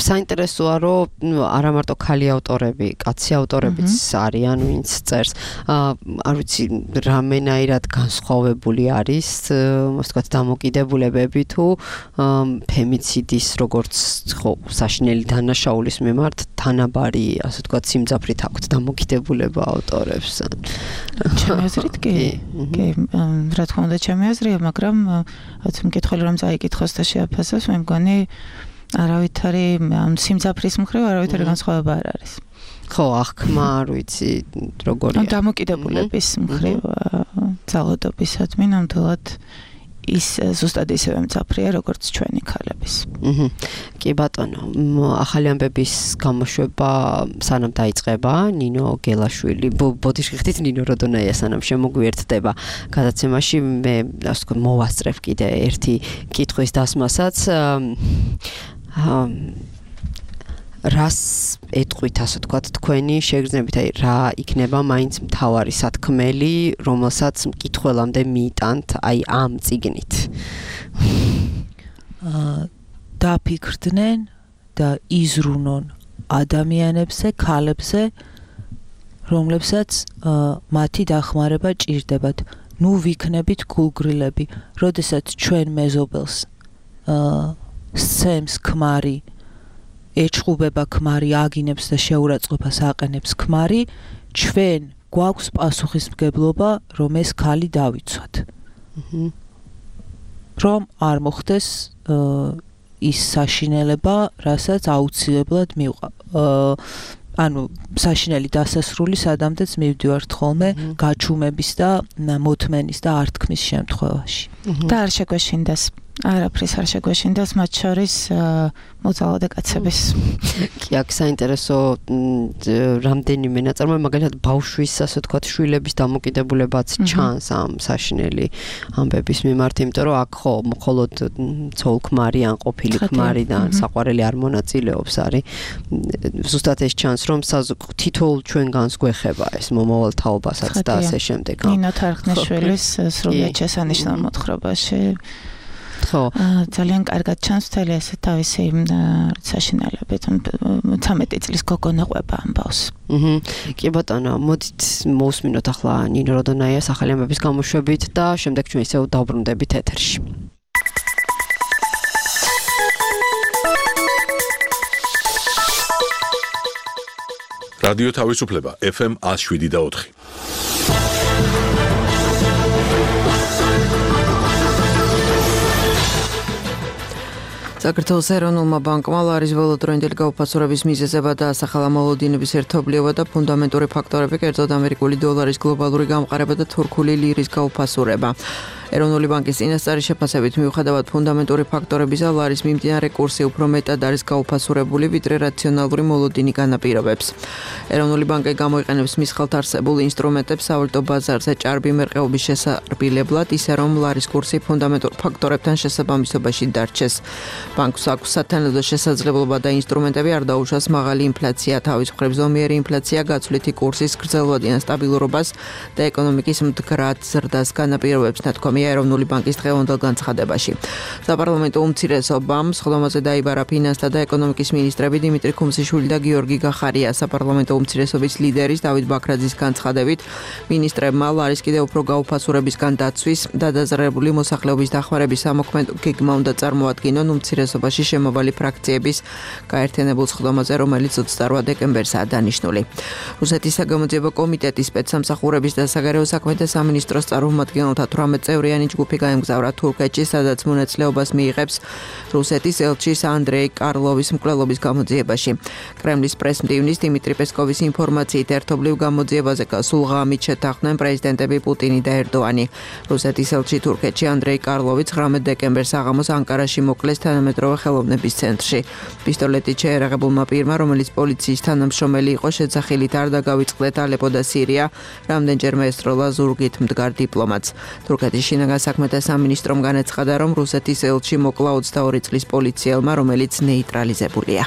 საინტერესოა, რომ არა მარტო ქალი ავტორები, კაცი ავტორებიც არიან, ვინც წერს. არ ვიცი, რამენაირად განსხვავებული არის, ასე ვთქვათ, დამოკიდებულებები თუ ფემიციდის როგორც ხო საშინელი დანაშაულის მიმართ თანაბარი, ასე ვთქვათ, სიმძაფრით აქვთ დამოკიდებულება ავტორებს. ჩემი აზრით კი. კი, რა თქმა უნდა, ჩემი აზრია, მაგრამ რაც მკითხელი რომ წაიკითხოს და შეაფასოს, მე მგონი არავითარი ამ სიმძაფრის მხრივ არავითარი განსხვავება არ არის. ხო, აღქმა, არ ვიცი, როგორია. დამოკიდებულების მხრივ ძალადობისადმი ნამდვილად ის ზუსტად ისევე მძაფრია, როგორც ჩვენი ქალების. კი ბატონო, ახალი ამბების გამოშვება სანამ დაიწყება, ნინო გელაშვილი, ბოდიში ხდით ნინო როდონაია სანამ შემოგვიერთდება გადაცემაში, მე ასე ვთქვათ, მოვასწრებ კიდე ერთი კითხვის დასმასაც. რას ეტყვით, ასე ვთქვათ, თქვენი შეგრძნებით, აი რა იქნება მაინც მთავარი სათქმელი, რომელსაც მკითხველამდე მიიტანთ აი ამ წიგნით? დაფიქრდნენ და იზრუნონ ადამიანებზე, ქალებზე, რომლებსაც მათი დახმარება ჭირდებათ. ნუ ვიქნებით გულგრილები, როდესაც ჩვენ მეზობელს სცემს ქმარი, ეჩხუბება ქმარი, აგინებს და შეურაცხყოფას აყენებს ქმარი, ჩვენ გვაქვს პასუხისმგებლობა, რომ ეს ქალი დავიცვათ. რომ არ მოხდეს ის საშინელება, რასაც აუცილებლად მივყვა. ანუ საშინელი დასასრული სადამდეც მივდივართ ხოლმე გაჩუმების და მოთმენის და ართქმის შემთხვევაში. და არ შეგვეშინდას. არაფრის არ შეგვეშინდას, მათ შორის მოძალადე კაცების. კი, აქ საინტერესო რამდენიმე ნაწარმოები, მაგალითად ბავშვის, ასე ვთქვათ, შვილების დამოკიდებულებაც ჩანს ამ საშინელი ამბების მიმართ, იმიტომ რომ აქ ხო მხოლოდ ცოლ-ქმარი ან ყოფილი ქმარი და საყვარელი არ მონაწილეობს არის. ზუსტად ეს ჩანს, რომ თითოეულ ჩვენგანს გვეხება ეს მომავალ თაობასაც და ასე შემდეგ. ნინო თარხნიშვილის სრულიად შესანიშნავ მოთხრობაში ხო. ძალიან კარგად ჩანს მთელი ეს თავისი საშინელებით. 13 წლის გოგონა ყვება ამბავს. კი ბატონო, მოდით მოვუსმინოთ ახლა ნინო როდონაიას ახალი ამბების გამოშვებით და შემდეგ ჩვენ ისევ დავბრუნდებით ეთერში. რადიო თავისუფლება FM 107.4. საქართველოს ეროვნულმა ბანკმა ლარის ველოდროინდელი გაუფასურების მიზეზებად დაასახელა მოლოდინების ერთობლიობა და ფუნდამენტური ფაქტორები, კერძოდ ამერიკული დოლარის გლობალური გამყარება და თურქული ლირის გაუფასურება. ეროვნული ბანკის წინასწარი შეფასებით მიუხედავად ფუნდამენტური ფაქტორებისა, ლარის მიმდინარე კურსი უფრო მეტად არის გაუფასურებული, ვიდრე რაციონალური მოლოდინი განაპირობებს. ეროვნული ბანკი გამოიყენებს მის ხელთ არსებულ ინსტრუმენტებს სავალუტო ბაზარზე ჭარბი მერყეობის შესარბილებლად, ისე რომ ლარის კურსი ფუნდამენტურ ფაქტორებთან შესაბამისობაში დარჩეს. ბანკს აქვს სათანადო შესაძლებლობა და ინსტრუმენტები არ დაუშვას მაღალი ინფლაცია, თავის მხრივ ზომიერი ინფლაცია, გაცვლითი კურსის გრძელვადიან სტაბილურობას და ეკონომიკის მდგრად ზრდას განაპირობებს, ნათქვამია ეროვნული ბანკის დღევანდელ განცხადებაში. საპარლამენტო უმცირესობამ სხდომაზე დაიბარა ფინანსთა და ეკონომიკის მინისტრები დიმიტრი ქუმსიშვილი და გიორგი გახარია. საპარლამენტო უმცირესობის ლიდერის დავით ბაქრაძის განცხადებით, მინისტრებმა ლარის კიდევ უფრო გაუფასურებისგან დაცვის და დაზარალებული მოსახლეობის დახმარების სამოქმედო გეგმა უნდა წარმოადგინონ უმცირესობაში შემავალი ფრაქციების გაერთიანებულ სხდომაზე, რომელიც 28 დეკემბერსაა დანიშნული. რუსეთის საგამოძიებო კომიტეტის სპეცსამსახურების და საგარეო საქმეთა სამინისტროს წარმომადგენელთა 18 წევრიანი ჯგუფი გაემგზავრა თურქეთში, სადაც მონაწილეობას მიიღებს რუსეთის ელჩის ანდრეი კარლოვის მკვლელობის გამოძიებაში. კრემლის პრესმდივნის დიმიტრი პესკოვის ინფორმაციით ერთობლივ გამოძიებაზე გასულ ღამით შეთანხმდნენ პრეზიდენტები პუტინი და ერდოანი. რუსეთის ელჩი თურქეთში ანდრეი კარლოვი 19 დეკემბერს საღამოს ანკარაში მოკლეს თანამედროვე ხელოვნების ცენტრში. პისტოლეტით შეერაღებულმა პირმა, რომელიც პოლიციის თანამშრომელი იყო, შეძახილით არ დაგავიწყდეთ ალეპო და სირია, რამდენჯერმე ესწროლა ზურგით მდგარ დიპლომატს. თურქეთის შინაგან საქმეთა სამინისტრომ განაცხადა, რომ რუსეთის ელჩი მოკლა 22 წლის პოლიციელმა, რომელიც ნეიტრალიზებულია.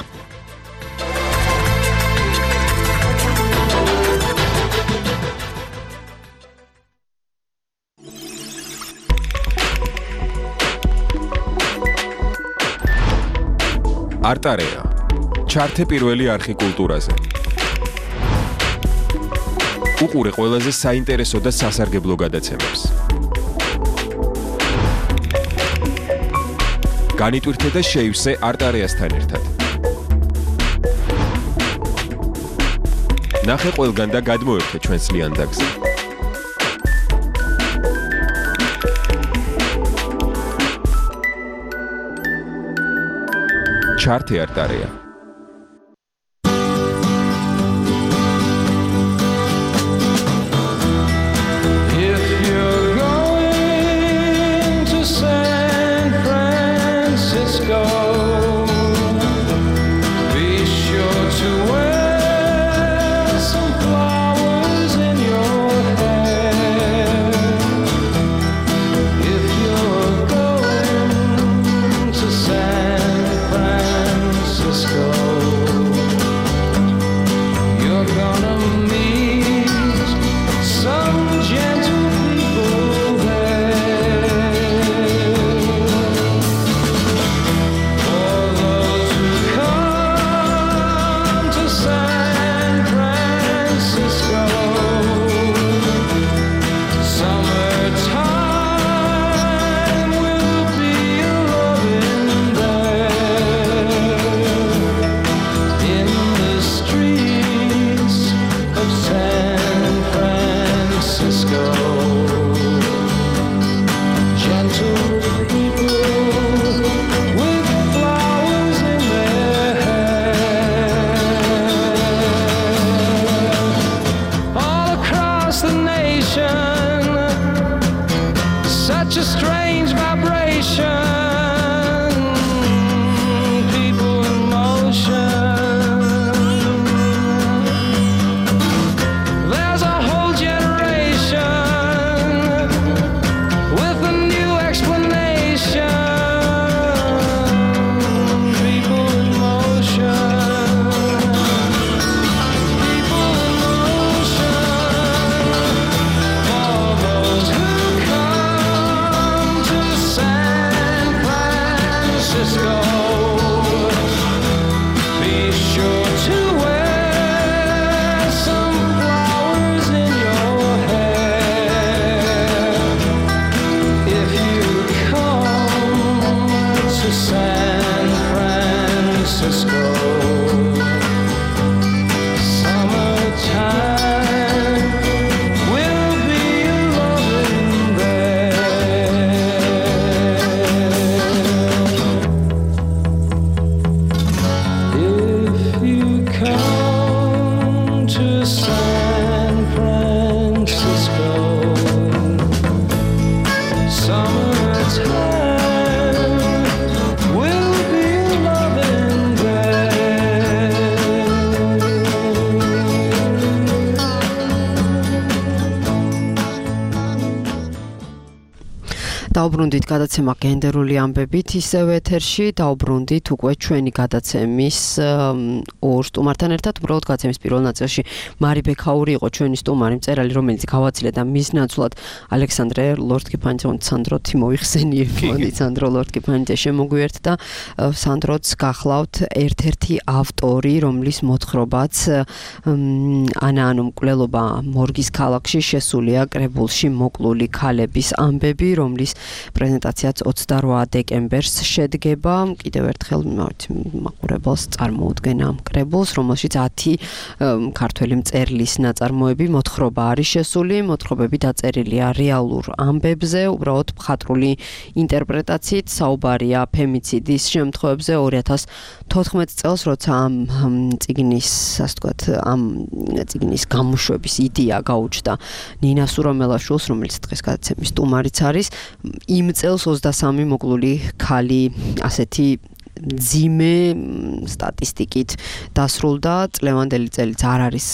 არტარეა. ჩართე პირველი არხი კულტურაზე. უყურე ყველაზე საინტერესო და სასარგებლო გადაცემებს. განიტვირთე და შეივსე არტარეასთან ერთად. ნახე ყველგან და გადმოერთე ჩვენს ლიანდაგზე. ჩართე არტარეა. Francisco. დაუბრუნდით გადაცემა გენდერული ამბებით ისევ ეთერში, დაუბრუნდით უკვე ჩვენი გადაცემის ორ სტუმართან ერთად, უბრალოდ გადაცემის პირველ ნაწილში მარი ბექაური იყო ჩვენი სტუმარი, მწერალი, რომელიც გავაცილე და მის ნაცვლად ალექსანდრე ლორდ-კიფანიძე და სანდრო თიმოიხსენიებოდი, სანდრო ლორდ-კიფანიძე შემოგვიერთდა. სანდროც გახლავთ ერთ-ერთი ავტორი, რომლის მოთხრობაც ანუ მკვლელობა მორგის ქალაქში შესულია კრებულში მოკლული ქალების ამბები, რომლის პრეზენტაციაც 28 დეკემბერს შედგება. კიდევ ერთხელ მაყურებელს წარმოუდგენ ამ კრებულს, რომელშიც 10 ქართველი მწერლის ნაწარმოები მოთხრობა არის შესული, მოთხრობები დაწერილია რეალურ ამბებზე, უბრალოდ მხატვრული ინტერპრეტაციით საუბარია ფემიციდის შემთხვევებზე 2014 წელს, როცა ამ წიგნის, ასე ვთქვათ, ამ წიგნის გამოშვების იდეა გაუჩნდა ნინა სურამელაშვილს, რომელიც დღეს გადაცემის სტუმარიც არის. იმ წელს 23 მოკლული ქალი ასეთი ძიმე სტატისტიკით დასრულდა, წლევანდელი წელიც არ არის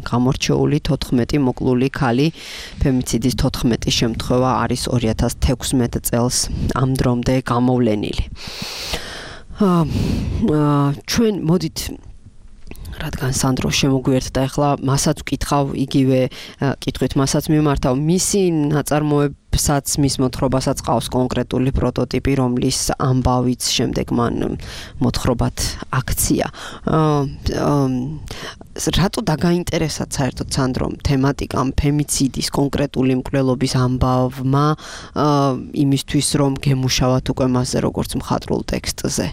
გამორჩეული 14 მოკლული ქალი, ფემიციდის 14 შემთხვევა არის 2016 წელს ამ დრომდე გამოვლენილი. ჩვენ მოდით რადგან სანდრო შემოგვიერთდა, ახლა მასაც ვკითხავ, იგივე კითხვით მასაც მიმართავ, მისი ნაწარმოებსაც, მის მოთხრობასაც ყავს კონკრეტული პროტოტიპი, რომლის ამბავიც შემდეგ მან მოთხრობად აქცია. რატო დაგაინტერესა საერთოდ სანდრომ თემატიკამ ფემიციდის კონკრეტული მკვლელობის ამბავმა იმისთვის, რომ გემუშავათ უკვე მასზე როგორც მხატვრულ ტექსტზე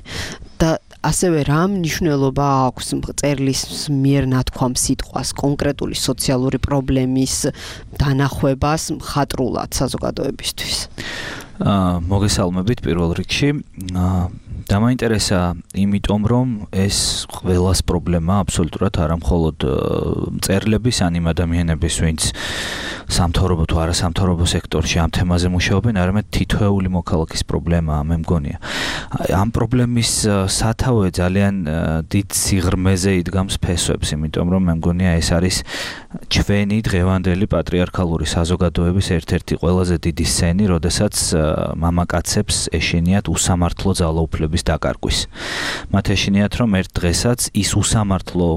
და ასევე რა მნიშვნელობა აქვს მწერლის მიერ ნათქვამ სიტყვას კონკრეტული სოციალური პრობლემის დანახვებას მხატვრულად საზოგადოებისთვის? მოგესალმებით პირველ რიგში. დამაინტერესა იმიტომ, რომ ეს ყველას პრობლემა აბსოლუტურად არა მხოლოდ მწერლების, ან იმ ადამიანების, ვინც სამთავრობო თუ არასამთავრობო სექტორში ამ თემაზე მუშაობენ, არამედ თითოეული მოქალაქის პრობლემაა, მე მგონია. ამ პრობლემის სათავე ძალიან დიდ სიღრმეზე იდგამს ფესვებს, იმიტომ რომ მე მგონია ეს არის ჩვენი დღევანდელი პატრიარქალური საზოგადოების ერთ-ერთი ყველაზე დიდი სენი, როდესაც მამაკაცებს ეშინიათ უსამართლო ძალაუფლების დაკარგვის. მათ ეშინიათ, რომ ერთ დღესაც ის უსამართლო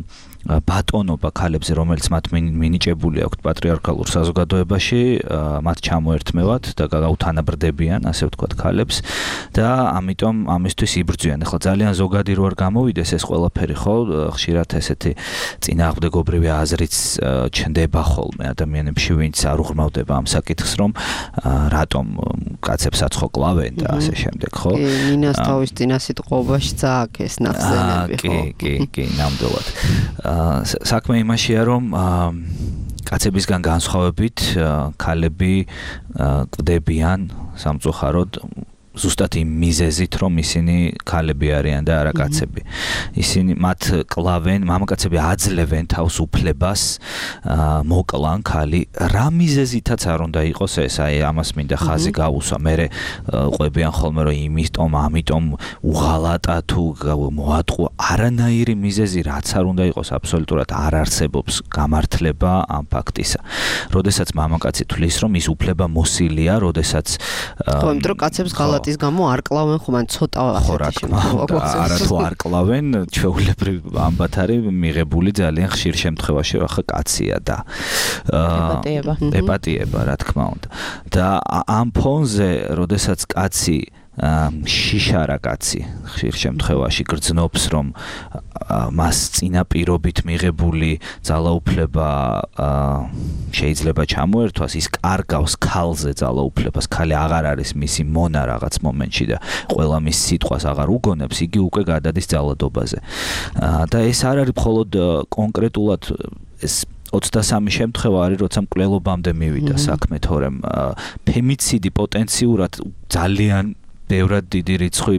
ბატონობა ქალებზე, რომელიც მათ მინიჭებული აქვთ პატრიარქალურ საზოგადოებაში, მათ ჩამოერთმევათ და გაუთანაბრდებიან, ასე ვთქვათ, ქალებს და ამიტომ ამისთვის იბრძვიან. ახლა ძალიან ზოგადი რო არ გამოვიდეს ეს ყველაფერი, ხო, ხშირად ესეთი წინააღმდეგობრივი აზრიც ჩნდება ხოლმე ადამიანებში, ვინც არ უღრმავდება ამ საკითხს, რომ რატომ კაცებს აცხო კლავენ და ასე შემდეგ, ხო? კი, ნინას თავის წინა სიტყვაში წააგეს ნახსენები, ხო? კი, ნამდვილად. საქმე იმაშია, რომ კაცებისგან განსხვავებით ქალები კვდებიან სამწუხაროდ ზუსტად იმ მიზეზით, რომ ისინი ქალები არიან და არა კაცები. ისინი მათ კლავენ, მამაკაცები აძლევენ თავს უფლებას მოკლან ქალი. რა მიზეზითაც არ უნდა იყოს ეს, აი ამას მინდა ხაზი გავუსვა. მერე ყვებიან ხოლმე, რომ ამიტომ უღალატა თუ მოატყუა. არანაირი მიზეზი რაც არ უნდა იყოს, აბსოლუტურად არ არსებობს გამართლება ამ ფაქტისა. როდესაც მამაკაცი თვლის, რომ ის უფლება მოსილია, როდესაც ხო, იმიტომ რომ კაცებს ღალატ ის გამო არ კლავენ ხომ ან ცოტა არა თუ არ კლავენ, ჩვეულებრივ ამბათ არის მიღებული ძალიან ხშირ შემთხვევაში, ახლა კაცია და ეპატიება, რა თქმა უნდა. და ამ ფონზე, როდესაც კაცი შიშარა კაცი ხშირ შემთხვევაში გრძნობს, რომ მას წინაპირობით მიღებული ძალაუფლება შეიძლება ჩამოერთვას, ის კარგავს ქალზე ძალაუფლებას, ქალი აღარ არის მისი მონა რაღაც მომენტში და ყველა მის სიტყვას აღარ უგონებს, იგი უკვე გადადის ძალადობაზე. და ეს არ არის მხოლოდ კონკრეტულად ეს 23 შემთხვევა არის, როცა მკვლელობამდე მივიდა საქმე, თორემ ფემიციდი პოტენციურად ძალიან ბევრად დიდი რიცხვი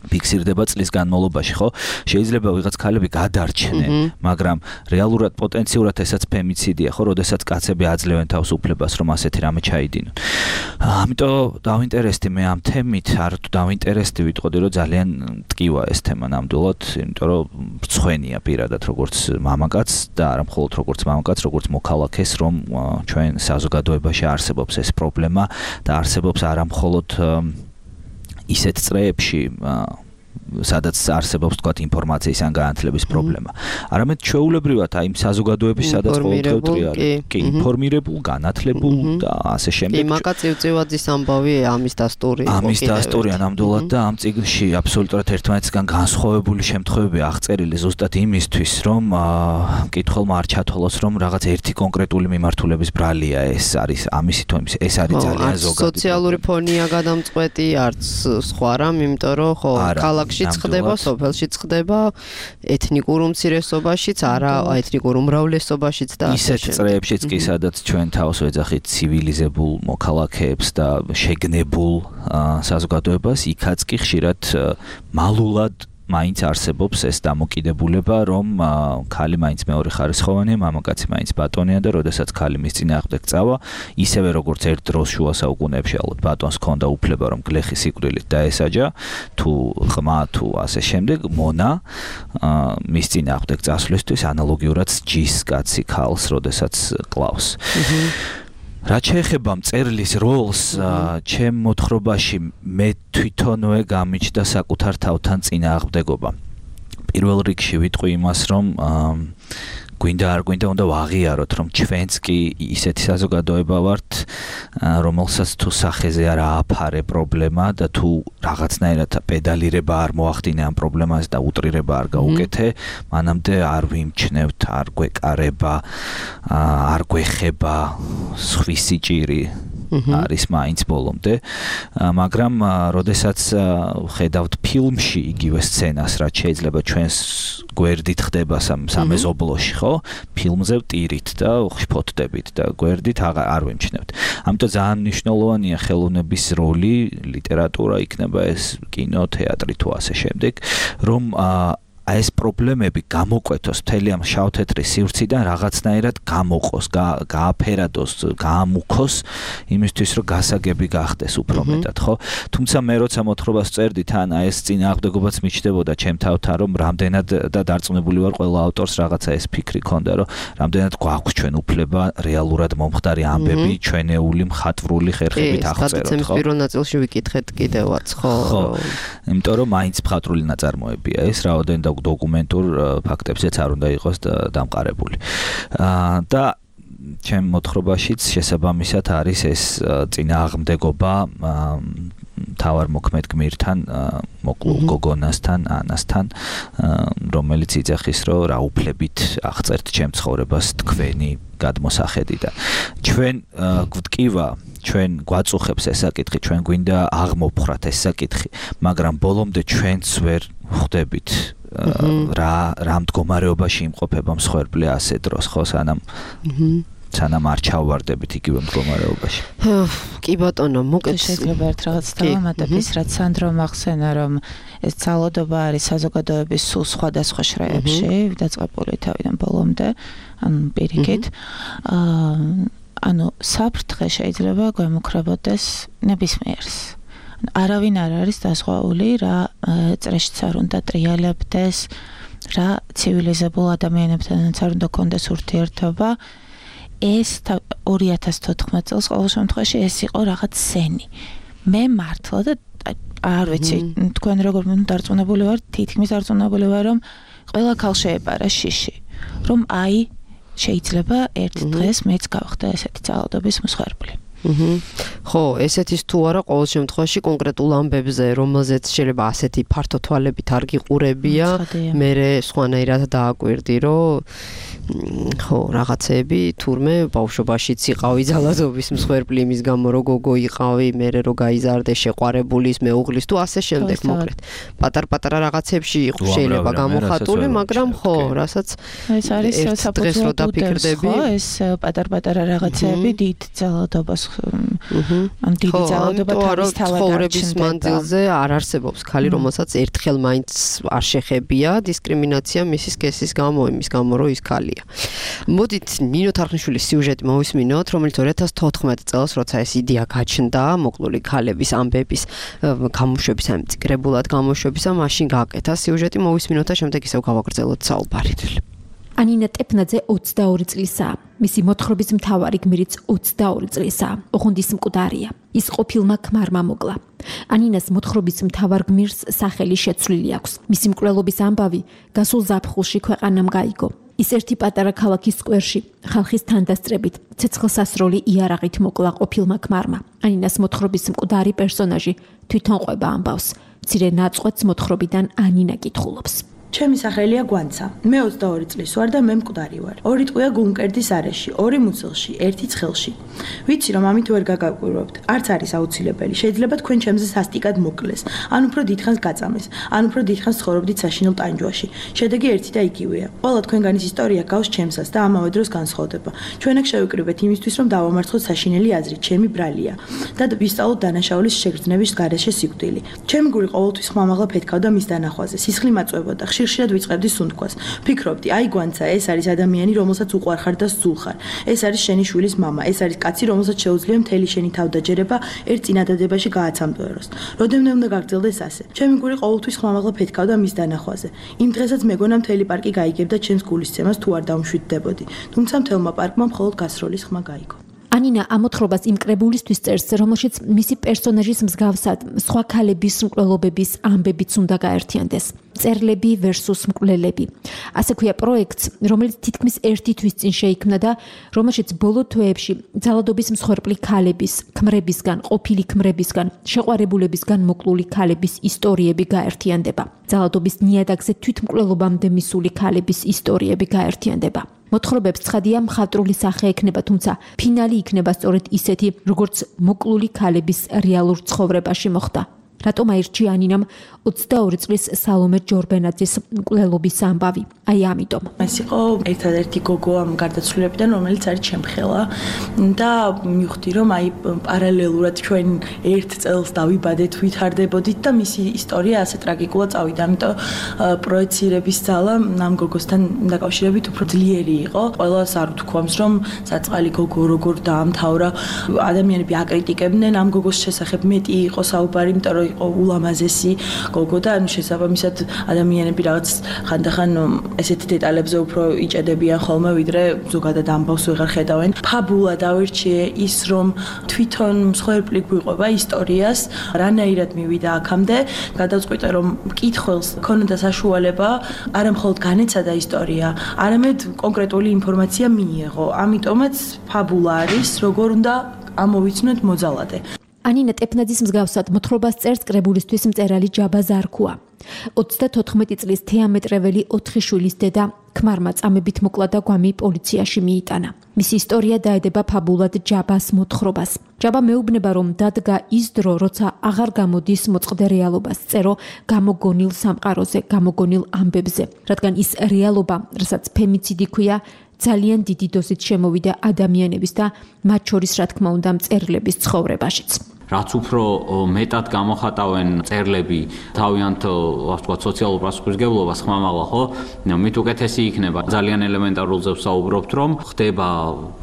ფიქსირდება წლის განმავლობაში, ხო? შეიძლება ვიღაც ქალები გადარჩნენ, მაგრამ რეალურად პოტენციურად ესაც ფემიციდია, ხო, როდესაც კაცები აძლევენ თავს უფლებას, რომ ასეთი რამე ჩაიდინონ. ამიტომ დავინტერესდი მე ამ თემით, არ თუ დავინტერესდი, ვიტყოდი, რომ ძალიან მტკივა ეს თემა ნამდვილად, იმიტომ რომ მწვენია პირადად როგორც მამაკაც და არა მხოლოდ როგორც მამაკაც, როგორც მოქალაქეს, რომ ჩვენ საზოგადოებაში არსებობს ეს პრობლემა და არსებობს არა მხოლოდ ისეთ წრეებში, სადაც არსებობს თქვათ ინფორმაციის ან განათლების პრობლემა. არამედ ჩვეულებრივად აი იმ საზოგადოების სადაც ყოველდღიურად არის. კი, ინფორმირებულ, განათლებულ და ასე შემდეგ. კი, მაკა წივწივაძის ამბავი ამის დასტური. ამის დასტურია ნამდვილად და ამ წიგნში აბსოლუტურად ერთმანეთისგან განსხვავებული შემთხვევები აღწერილი ზუსტად იმისთვის, რომ მკითხველმა არ ჩათვალოს, რომ რაღაც ერთი კონკრეტული მიმართულების ბრალია ეს არის ამისი თუ იმის. ეს არის ძალიან ზოგადი. სოციალური ფონია გადამწყვეტი, არც სხვა რამ, იმიტომ რომ ხო ქალაქშიც ხდება, სოფელშიც ხდება, ეთნიკურ უმცირესობაშიც, არა ეთნიკურ უმრავლესობაშიც და ისეთ წრეებშიც კი სადაც ჩვენ თავს ვეძახით ცივილიზებულ მოქალაქეებს და შეგნებულ საზოგადოებას, იქაც კი ხშირად მალულად მაინც არსებობს ეს დამოკიდებულება, რომ ქალი მაინც მეორე ხარისხოვანია, მამაკაცი მაინც ბატონია და როდესაც ქალი მის წინააღმდეგ წავა, ისევე როგორც ერთ დროს შუა საუკუნეებში ალბათ ბატონს ჰქონდა უფლება, რომ გლეხი სიკვდილით დაესაჯა, თუ ყმა, თუ ასე შემდეგ, მონა მის წინააღმდეგ წასვლისთვის ანალოგიურად ჯის კაცი ქალს, როდესაც კლავს. რაც შეეხება მწერლის როლს, ჩემ მოთხრობაში მე თვითონვე გამიჩნდა საკუთარ თავთან წინააღმდეგობა. პირველ რიგში ვიტყვი იმას, რომ გვინდა არ გვინდა უნდა ვაღიაროთ, რომ ჩვენც კი ისეთი საზოგადოება ვართ, რომელსაც თუ სახეზე არ ააფარე პრობლემა და თუ რაღაცნაირად პედალირება არ მოახდინე ამ პრობლემას და უტრირება არ გაუკეთე, მანამდე არ ვიმჩნევთ, არ გვეკარება, არ გვეხება სხვისი ჭირი. არის მაინც ბოლომდე, მაგრამ როდესაც ხედავთ ფილმში იგივე სცენას, რაც შეიძლება ჩვენს გვერდით ხდება სამეზობლოში, ხო? ფილმზე ვტირით და ხფოთდებით და გვერდით არ ვემჩნევთ. ამიტომ ძალიან მნიშვნელოვანია ხელოვნების როლი, ლიტერატურა იქნება ეს, კინო, თეატრი თუ ასე შემდეგ, რომ ეს პრობლემები გამოკვეთოს მთელი ამ შავ-თეთრი სივრციდან რაღაცნაირად გამოყოს, გააფერადოს, გაამუქოს იმისთვის, რომ გასაგები გახდეს უფრო მეტად, ხო? თუმცა მე როცა მოთხრობას წერდი, თან ეს წინააღმდეგობაც მიჩნდებოდა ჩემ თავთან, რომ რამდენად და დარწმუნებული ვარ, ყველა ავტორს რაღაცა ეს ფიქრი ქონდა, რომ რამდენად გვაქვს ჩვენ უფლება რეალურად მომხდარი ამბები ჩვენეული მხატვრული ხერხებით აღწეროთ, ხო? გადაცემის პირველ ნაწილში ვიკითხეთ კიდევაც, ხო? იმიტომ რომ მაინც მხატვრული ნაწარმოებია ეს, რაოდენ და დოკუმენტურ ფაქტებზეც არ უნდა იყოს დამყარებული. და ჩემ მოთხრობაშიც შესაბამისად არის ეს წინააღმდეგობა თავარ მოქმედ გმირთან, მოკლულ გოგონასთან, ანასთან, რომელიც იძახის, რომ რა უფლებით აღწერთ ჩემ ცხოვრებას თქვენი გადმოსახედი და ჩვენ გვტკივა, ჩვენ გვაწუხებს ეს საკითხი, ჩვენ გვინდა აღმოფხრათ ეს საკითხი, მაგრამ ბოლომდე ჩვენც ვერ ხვდებით რა მდგომარეობაში იმყოფება მსხვერპლი ასე დროს, ხო, სანამ არ ჩავვარდებით იგივე მდგომარეობაში. კი ბატონო, მოკეთ შეიძლება ერთ რაღაც დავამატებ ის, რაც სანდრო ახსენა, რომ ეს ძალადობა არის საზოგადოების სულ სხვადასხვა შრეებში, დაწყებული თავიდან ბოლომდე, ან პირიქით. ანუ საფრთხე შეიძლება გვემუქრებოდეს ნებისმიერს. არავინ არ არის დასხვაული, რა წრეშიც არ უნდა ტრიალებდეს, რა ცივილიზებულ ადამიანებთანაც არ უნდა კონდეს ურთიერთობა. ეს 2014 წელს ყოველ შემთხვევაში ეს იყო რაღაც სენი. მე მართლა და არ ვიცი, თქვენ როგორ დარწმუნებული ვარ, თითქმის დარწმუნებული ვარ, რომ ყველა ქალ შეეპარა შიში, რომ აი შეიძლება ერთ დღეს მეც გავხდა ესეთი ძალადობის მსხვერპლი. ხო, ესეთის თუ არა ყოველ შემთხვევაში კონკრეტულ ამბებზე, რომელზეც შეიძლება ასეთი ფართო თვალებით არ გიყურებია, მე სხვანაირად დააკვირდი, რომ ხო, რაღაცეები თურმე ბავშვობაშიც იყავი ძალადობის მსხვერპლი იმის გამო რომ გოგო იყავი, მერე რომ გაიზარდე შეყვარებულის, მეუღლის თუ ასე შემდეგ მოკლედ. პატარ-პატარა რაღაცებში შეიძლება გამოხატული, მაგრამ ხო, რასაც ეს არის დღეს რო დაფიქრდები, ეს პატარ-პატარა რაღაცეები დიდ ძალადობას ან დიდი ძალადობა თავის ცხოვრების მანძილზე არ არსებობს ქალი, რომელსაც ერთხელ მაინც არ შეხებია დისკრიმინაცია მისი სქესის გამო, იმის გამო რომ ის ქალია. მოდით ნინო თარხნიშვილის სიუჟეტი მოვისმინოთ, რომელიც 2014 წელს, როცა ეს იდეა გაჩნდა, მოკლული ქალების ამბების გამოშვების, ამ წიგრებულად გამოშვებისა, მაშინ გააკეთა სიუჟეტი, მოვისმინოთ და შემდეგ ისევ გავაგრძელოთ საუბარი. ანინა ტეპნაძე 22 წლისაა. მისი მოთხრობის მთავარი გმირიც 22 წლისაა. ოღონდის მკვდარია. ის ყოფილმა ქმარმა მოკლა. ანინას მოთხრობის მთავარ გმირს სახელი შეცვლილი აქვს. მისი მკვლელობის ამბავი გასულ ზაფხულში ქვეყანამ გაიგო. ის ერთი პატარა ქალაქის სკვერში ხალხის თანდასწრებით ცეცხლსასროლი იარაღით მოკლა ყოფილმა ქმარმა. ანინას მოთხრობის მკვდარი პერსონაჟი თვითონ ყვება ამბავს. მცირე ნაწყვეტს მოთხრობიდან ანინა კითხულობს. ჩემი სახელია გვანცა. მე 22 წლის ვარ და მე მკვდარი ვარ. 2 ტყვია გულმკერდის არეში, 2 მუცელში, 1 ცხელში. ვიცი რომ ამით ვერ გაგაკვირვებთ. არც არის აუცილებელი. შეიძლება თქვენ ჩემზე სასტიკად მოკლეს, ან უფრო დიდხანს გაწამეს, ან უფრო დიდხანს ცხოვრობდით საშინელ ტანჯვაში. შედეგი ერთი და იგივეა. ყველა თქვენგანის ისტორია გავს ჩემსას და ამავე დროს განსხვავდება. ჩვენ აქ შევიკრიბეთ იმისთვის რომ დავამარცხოთ საშინელი აზრი, ჩემი ბრალია და ვისწავლოთ დანაშაულის შეგრძნების გარეშე სიკვდილი. ჩემი გული ყოველთვის ხმამაღლა ფეთქავდა მის დანახვაზე. სისხლი მაწვებოდა. ხშირად ვიწყებდი სუნთქვას. ფიქრობდი, აი გვანცა, ეს არის ადამიანი, რომელსაც უყვარხარ და სულხარ. ეს არის შენი შვილის მამა, ეს არის კაცი, რომელსაც შეუძლია მთელი შენი თავდაჯერება ერთ წინადადებაში გააცამბეროს. როდემდე უნდა გაგრძელდეს ასე. ჩემი გული ყოველთვის ხმამაღლა ფეთქავდა მის დანახვაზე. იმ დღესაც მეგონა მთელი პარკი გაიგებდა ჩემს გულისცემას თუ არ დავმშვიდდებოდი. თუმცა მთელმა პარკმა მხოლოდ გასროლის ხმა გაიგო. ანინა ამოთხრობას იმ კრებულისთვის წერს, რომელშიც მისი პერსონაჟის მსგავსად სხვა ქალების მკვლელობების ამბებიც უნდა გაერთიანდეს. წერლები versus მკვლელები. ასე ქვია პროექტს, რომელიც თითქმის ერთი თვის წინ შეიქმნა და რომელშიც ბოლო თვეებში ძალადობის მსხვერპლი ქალების, ქმრებისგან, ყოფილი ქმრებისგან, შეყვარებულებისგან მოკლული ქალების ისტორიები გაერთიანდება. ძალადობის ნიადაგზე თვითმკვლელობამდე მისული ქალების ისტორიები გაერთიანდება. მოთხრობებს ცხადია მხატვრული სახე ექნება, თუმცა ფინალი იქნება სწორედ ისეთი, როგორც მოკლული ქალების რეალურ ცხოვრებაში მოხდა. რატომ აირჩია ანინამ 22 წლის სალომე ჯორბენაძის მკვლელობის ამბავი? აი ამიტომ. ეს იყო ერთადერთი გოგო ამ გარდაცვლილებიდან, რომელიც არის ჩემხელა და მივხვდი რომ აი პარალელურად ჩვენ ერთ წელს დავიბადეთ, ვითარდებოდით და მისი ისტორია ასე ტრაგიკულად წავიდა. ამიტომ პროექცირების ძალა ამ გოგოსთან დაკავშირებით უფრო ძლიერი იყო. ყველას არ ვთქვამს რომ საწყალი გოგო როგორ დაამთავრა. ადამიანები აკრიტიკებდნენ ამ გოგოს შესახებ, მეტი იყო საუბარი, იმიტომ რომ იყო ულამაზესი გოგო და ანუ შესაბამისად ადამიანები რაღაც ხანდახან ესეთ დეტალებზე უფრო იჭედებიან ხოლმე, ვიდრე ზოგადად ამბავს ვეღარ ხედავენ. ფაბულა დავირჩიე ის, რომ თვითონ მსხვერპლი გვიყვება ისტორიას, რანაირად მივიდა აქამდე, გადავწყვიტე რომ მკითხველს ქონოდა საშუალება არა მხოლოდ განეცადა ისტორია, არამედ კონკრეტული ინფორმაცია მიიღო. ამიტომაც ფაბულა არის, როგორ უნდა ამოვიცნოთ მოძალადე. ანინა ტეპნაძის მსგავსად მოთხრობას წერს კრებულისთვის მწერალი ჯაბა ზარქუა. 34 წლის თეამეტრეველი 4 შვილის დედა ქმარმა წამებით მოკლა და გვამი პოლიციაში მიიტანა. მისი ისტორია დაედება ფაბულად ჯაბას მოთხრობას. ჯაბა მეუბნება რომ დადგა ის დრო, როცა აღარ გამოდის მოწყდე რეალობას, წერო გამოგონილ სამყაროზე, გამოგონილ ამბებზე, რადგან ის რეალობა, რასაც ფემიციდი ქვია, ძალიან დიდი დოზით შემოვიდა ადამიანების და მათ შორის რა თქმა უნდა მწერლების ცხოვრებაშიც. რაც უფრო მეტად გამოხატავენ წერლები თავიანთ ვთქვათ სოციალურ პასუხისმგებლობას ხმამაღლა, ხო? მით უკეთესი იქნება. ძალიან ელემენტარულზე ვსაუბრობთ, რომ ხდება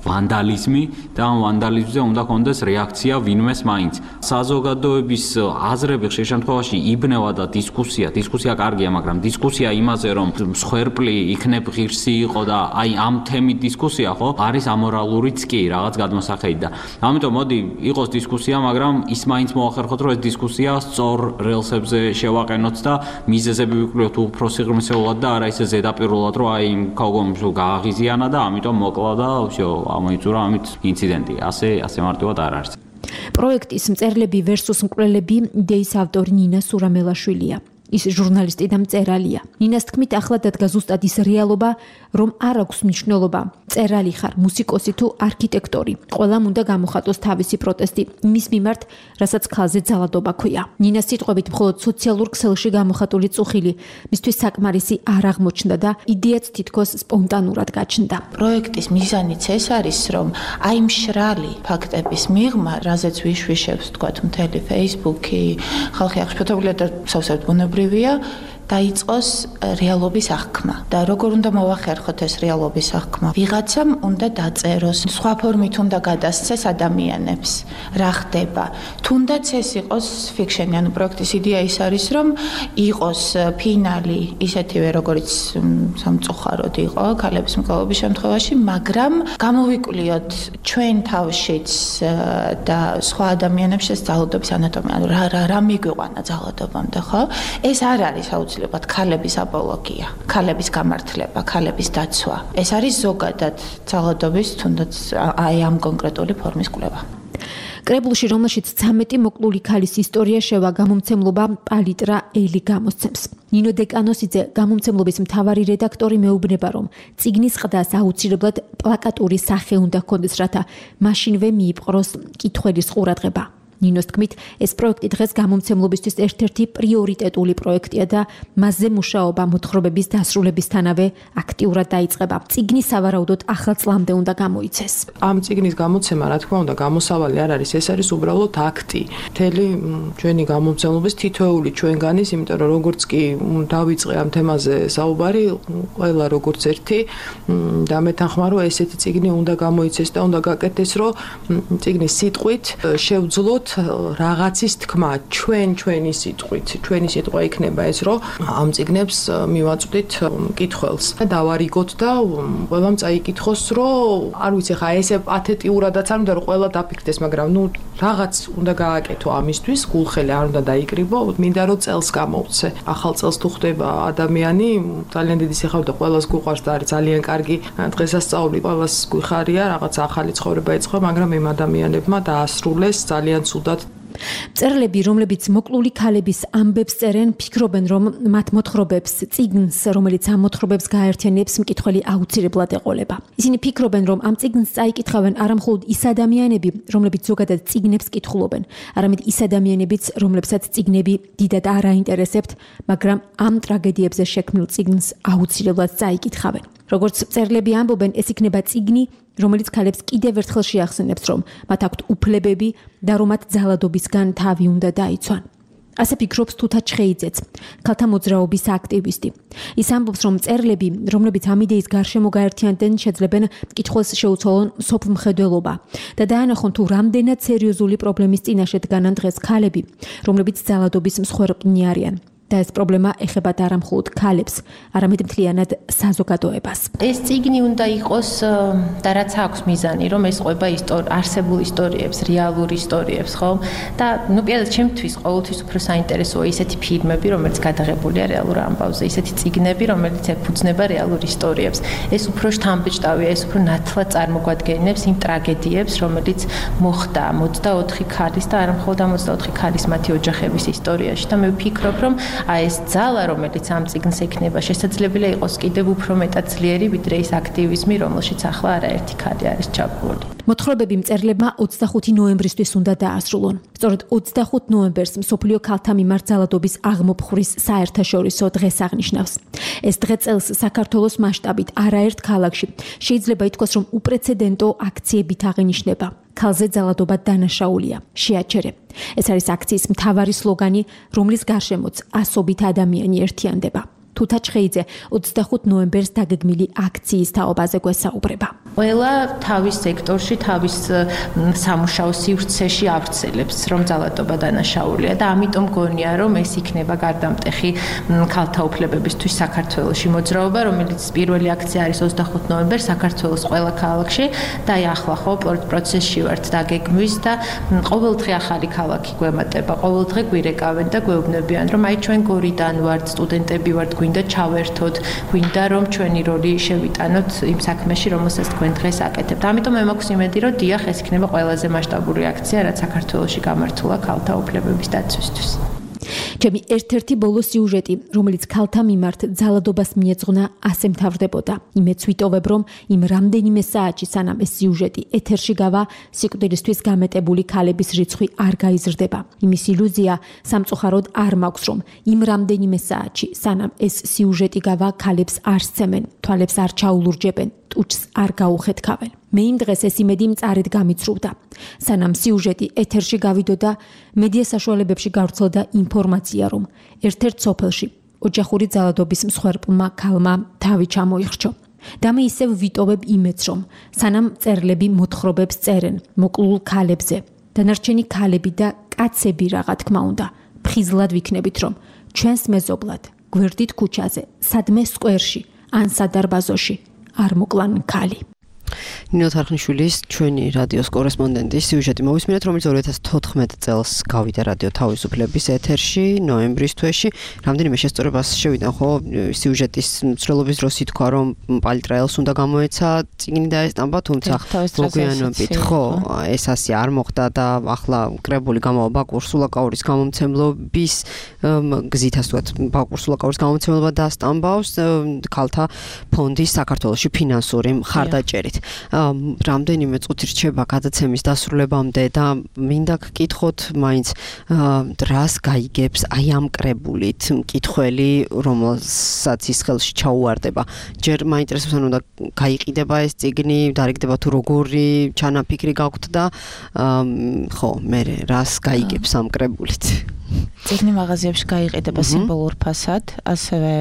ვანდალიზმი და ამ ვანდალიზმზე უნდა კონდეს რეაქცია ვინმეს მაინც. საზოგადოების აზრები ხშირ შემთხვევაში იბნევა და დისკუსია კარგია, მაგრამ დისკუსია იმაზე, რომ მსხვერპლი იქნებ ღირსი იყო და აი ამ თემით დისკუსია, ხო? არის ამორალურიც კი რაღაც გადმოსახედი და ამიტომ მოდი იყოს დისკუსია, მაგრამ ის მაინც მოახერხოთ, რომ ეს დისკუსია სწორ რელსებზე შევაყენოთ და მიზეზები ვიკვლევთ უფრო სიღრმისეულად და არა ისე ზედაპირულად, რომ აი ქალგომ გააღიზიანა და ამიტომ მოკლა და всё, ამოიწურა ამით ინციდენტი. ასე მარტივად არ არის. პროექტის მწერლები versus მკვლელები იდეის ავტორი ნინა სურამელაშვილია. ის ჟურნალისტი და მწერალია. ნინას თქმით, ახლა დადგა ზუსტად ის რეალობა, რომ არ აქვს მნიშვნელობა, მწერალი ხარ, მუსიკოსი თუ არქიტექტორი. ყველამ უნდა გამოხატოს თავისი პროტესტი იმის მიმართ, რასაც ქალზე ძალადობა ქვია. ნინას სიტყვებით, მხოლოდ სოციალურ ქსელში გამოხატული წუხილი მისთვის საკმარისი არ აღმოჩნდა და იდეაც თითქოს სპონტანურად გაჩნდა. პროექტის მიზანიც ეს არის, რომ აი მშრალი ფაქტების მიღმა, რაზეც ვიშვიშებს, თქვათ, მთელი Facebook-ი, ხალხი აღშფოთებულია და სავსებით ბუნებრივია, დაიწყოს რეალობის აღქმა. და როგორ უნდა მოვახერხოთ ეს რეალობის აღქმა? ვიღაცამ უნდა დაწეროს, სხვა ფორმით უნდა გადასცეს ადამიანებს, რა ხდება. თუნდაც ეს იყოს ფიქშენი, ანუ პროექტის იდეა ის არის, რომ იყოს ფინალი ისეთივე, როგორც სამწუხაროდ იყო ქალების მკვლელობის შემთხვევაში, მაგრამ გამოვიკვლიოთ ჩვენ თავშიც და სხვა ადამიანებს ეს ძალადობის ანატომია, ანუ რა მიგვიყვანა ძალადობამდე, ხო? ეს არ არის აუცილებლად ქალების აპოლოგია, ქალების გამართლება, ქალების დაცვა. ეს არის ზოგადად ძალადობის თუნდაც აი ამ კონკრეტული ფორმის კვლევა. კრებულში, რომელშიც 13 მოკლული ქალის ისტორია შევა, გამომცემლობა პალიტრა ელი გამოსცემს. ნინო დეკანოსიძე, გამომცემლობის მთავარი რედაქტორი, მეუბნება, რომ წიგნის ყდას აუცილებლად პლაკატური სახე უნდა ჰქონდეს, რათა მაშინვე მიიპყროს მკითხველის ყურადღება. ნინოს თქმით, ეს პროექტი დღეს გამომცემლობისთვის ერთ-ერთი პრიორიტეტული პროექტია და მასზე მუშაობა მოთხრობების დასრულებისთანავე აქტიურად დაიწყება. წიგნი სავარაუდოდ ახალ წლამდე უნდა გამოიცეს. ამ წიგნის გამოცემა, რა თქმა უნდა, გამოსავალი არ არის, ეს არის უბრალოდ აქტი. მთელი ჩვენი გამომცემლობის თითოეული ჩვენგანის, იმიტომ რომ როგორც კი დავიწყე ამ თემაზე საუბარი, ყველა როგორც ერთი და მეთანხმა, რომ ესეთი წიგნი უნდა გამოიცეს და უნდა გაკეთდეს, რომ წიგნის სიტყვით შევძლოთ რაღაცის თქმა, ჩვენი სიტყვით, ჩვენი სიტყვა იქნება ეს, რომ ამ წიგნებს მივაწვდით მკითხველს და დავარიგოთ და ყველამ წაიკითხოს, რომ არ ვიცი ხა ესე პათეტიურადაც არ უნდა რომ ყველა დაფიქრდეს, მაგრამ ნუ რაღაც უნდა გააკეთო ამისთვის, გულხელი არ უნდა დაიკრიბო, მინდა რომ წელს გამოვცე. ახალ წელს თუ ხდება ადამიანი, ძალიან დიდი სიხარულით ყველას გუყვარს და არის ძალიან კარგი დღესასწაული, ყველას გვიხარია, რაღაც ახალი ცხოვრება იწყო, მაგრამ იმ ადამიანებმა დაასრულეს ძალიან მწერლები, რომლებიც მოკლული ქალების ამბებს წერენ, ფიქრობენ, რომ მათ მოთხრობებს, წიგნს, რომელიც ამ მოთხრობებს გააერთიანებს, მკითხველი აუცილებლად ეყოლება. ისინი ფიქრობენ, რომ ამ წიგნს წაიკითხავენ არა მხოლოდ ის ადამიანები, რომლებიც ზოგადად წიგნებს კითხულობენ, არამედ ის ადამიანებიც, რომლებსაც წიგნები დიდად არ აინტერესებთ, მაგრამ ამ ტრაგედიებზე შექმნილ წიგნს აუცილებლად წაიკითხავენ. როგორც მწერლები ამბობენ, ეს იქნება წიგნი, რომელიც ქალებს კიდევ ერთხელ შეახსენებს, რომ მათ აქვთ უფლებები და რომ მათ ძალადობისგან თავი უნდა დაიცვან. ასე ფიქრობს თუთა ჩხეიძეც, ქალთა მოძრაობის აქტივისტი. ის ამბობს, რომ მწერლები, რომლებიც ამ იდეის გარშემო გაერთიანდნენ, შეძლებენ მკითხველს შეუცვალონ სოფლმხედველობა და დაანახონ თუ რამდენად სერიოზული პრობლემის წინაშე დგანან დღეს ქალები, რომლებიც ძალადობის მსხვერპლნი არიან. და ეს პრობლემა ეხებათ არა მხოლოდ ქალებს, არამედ მთლიანად საზოგადოებას. ეს წიგნი უნდა იყოს და რაც აქვს მიზანი, რომ ეს ყვება არსებულ ისტორიებს, რეალურ ისტორიებს, ხო? და ნუ პირადად ჩემთვის ყოველთვის უფრო საინტერესოა ისეთი ფილმები, რომელიც გადაღებულია რეალურ ამბავზე, ისეთი წიგნები, რომელიც ეფუძნება რეალურ ისტორიებს. ეს უფრო შთამბეჭდავია, ეს უფრო ნათლად წარმოგვადგენს იმ ტრაგედიებს, რომელიც მოხდა 24 ქალის და არა მხოლოდ 24 ქალის მათი ოჯახების ისტორიაში და მე ვფიქრობ, რომ აი ეს ძალა, რომელიც ამ წიგნს ექნება, შესაძლებელია იყოს კიდევ უფრო მეტად ძლიერი, ვიდრე ის აქტივიზმი, რომელშიც ახლა არაერთი ქალი არის ჩაბმული. მოთხრობები მწერლებმა 25 ნოემბრისთვის უნდა დაასრულონ. სწორედ 25 ნოემბერს მსოფლიო ქალთა მიმართ ძალადობის აღმოფხვრის საერთაშორისო დღეს აღნიშნავს. ეს დღე წელს საქართველოს მასშტაბით არაერთ ქალაქში შეიძლება ითქვას, რომ უპრეცედენტო აქციებით აღინიშნება. ქალზე ძალადობა დანაშაულია, შეაჩერე. ეს არის აქციის მთავარი სლოგანი, რომლის გარშემოც ასობით ადამიანი ერთიანდება. თუთა ჩხეიძე 25 ნოემბერს დაგეგმილი აქციის თაობაზე გვესაუბრება. ყველა თავის სექტორში, თავის სამუშაო სივრცეში ავრცელებს, რომ ძალადობა დანაშაულია და ამიტომ გონია, რომ ეს იქნება გარდამტეხი ქალთა უფლებებისთვის საქართველოში მოძრაობა, რომელიც პირველი აქცია არის 25 ნოემბერს საქართველოს ყველა ქალაქში და აი ახლა ხო პროცესში ვართ დაგეგმვის და ყოველდღე ახალი ქალაქი გვემატება, ყოველდღე გვირეკავენ და გვეუბნებიან, რომ აი ჩვენ გორიდან ვართ, სტუდენტები ვართ, გვინდა ჩავერთოთ, გვინდა რომ ჩვენი როლი შევიტანოთ იმ საქმეში, რომელსაც თქვენ დღეს აკეთებთ. ამიტომ მე მაქვს იმედი, რომ დიახ, ეს იქნება ყველაზე მასშტაბური აქცია, რაც საქართველოში გამართულა ქალთა უფლებების დაცვისთვის. ჩემი ერთ-ერთი ბოლო სიუჟეტი, რომელიც ქალთა მიმართ ძალადობას მიეძღვნა, ასე მთავრდებოდა. იმეც ვიტოვებ, რომ იმ რამდენიმე საათში, სანამ ეს სიუჟეტი ეთერში გავა, სიკვდილისთვის გამეტებული ქალების რიცხვი არ გაიზრდება. იმის ილუზია სამწუხაროდ არ მაქვს, რომ იმ რამდენიმე საათში, სანამ ეს სიუჟეტი გავა, ქალებს არ სცემენ, თვალებს არ ჩაულურჯებენ, ტუჩს არ გაუხეთქავენ. მე იმ დღეს ეს იმედი მწარედ გამიცრუვდა. სანამ სიუჟეტი ეთერში გავიდოდა, მედია საშუალებებში გავრცელდა ინფორმაცია, რომ ერთ-ერთ სოფელში ოჯახური ძალადობის მსხვერპლმა ქალმა თავი ჩამოიხრჩო. და მე ისევ ვიტოვებ იმედს, რომ სანამ მწერლები მოთხრობებს წერენ მოკლულ ქალებზე, დანარჩენი ქალები და კაცები რაღა თქმა უნდა, ფხიზლად ვიქნებით, რომ ჩვენს მეზობლად, გვერდით ქუჩაზე, სადმე სკვერში ან სადარბაზოში არ მოკლან ქალი. ნინო თარხნიშვილის ჩვენი რადიოს კორესპონდენტის სიუჟეტი მოვისმინეთ, რომელიც 2014 წელს გავიდა რადიო თავისუფლების ეთერში ნოემბრის თვეში. რამდენიმე შესწორებას შევიდა, ხო, სიუჟეტის მცდელობის დროს ითქვა, რომ პალიტრაელს უნდა გამოეცა წიგნი დაესტამბა, თუმცა მოგვიანებით, ხო, ეს ასე არ მოხდა და ახლა კრებული გამოვა ბაკურ სულაკაურის გამომცემლობის გზით, ასე ვთქვათ, ბაკურ სულაკაურის გამომცემლობა დაასტამბავს ქალთა ფონდის საქართველოში ფინანსური მხარდაჭერით. რამდენიმე წუთი რჩება გადაცემის დასრულებამდე და მინდა გკითხოთ მაინც რას გაიგებს აი ამ კრებულით მკითხველი, რომელსაც ის ხელში ჩაუვარდება. ჯერ მაინტერესებს, ანუ და გაიყიდება ეს წიგნი, დარიგდება თუ როგორი ჩანაფიქრი გაქვთ და ხო, მე რას გაიგებს ამ კრებულით. წიგნი მაღაზიებში გაიყიდება სიმბოლურ ფასად, ასევე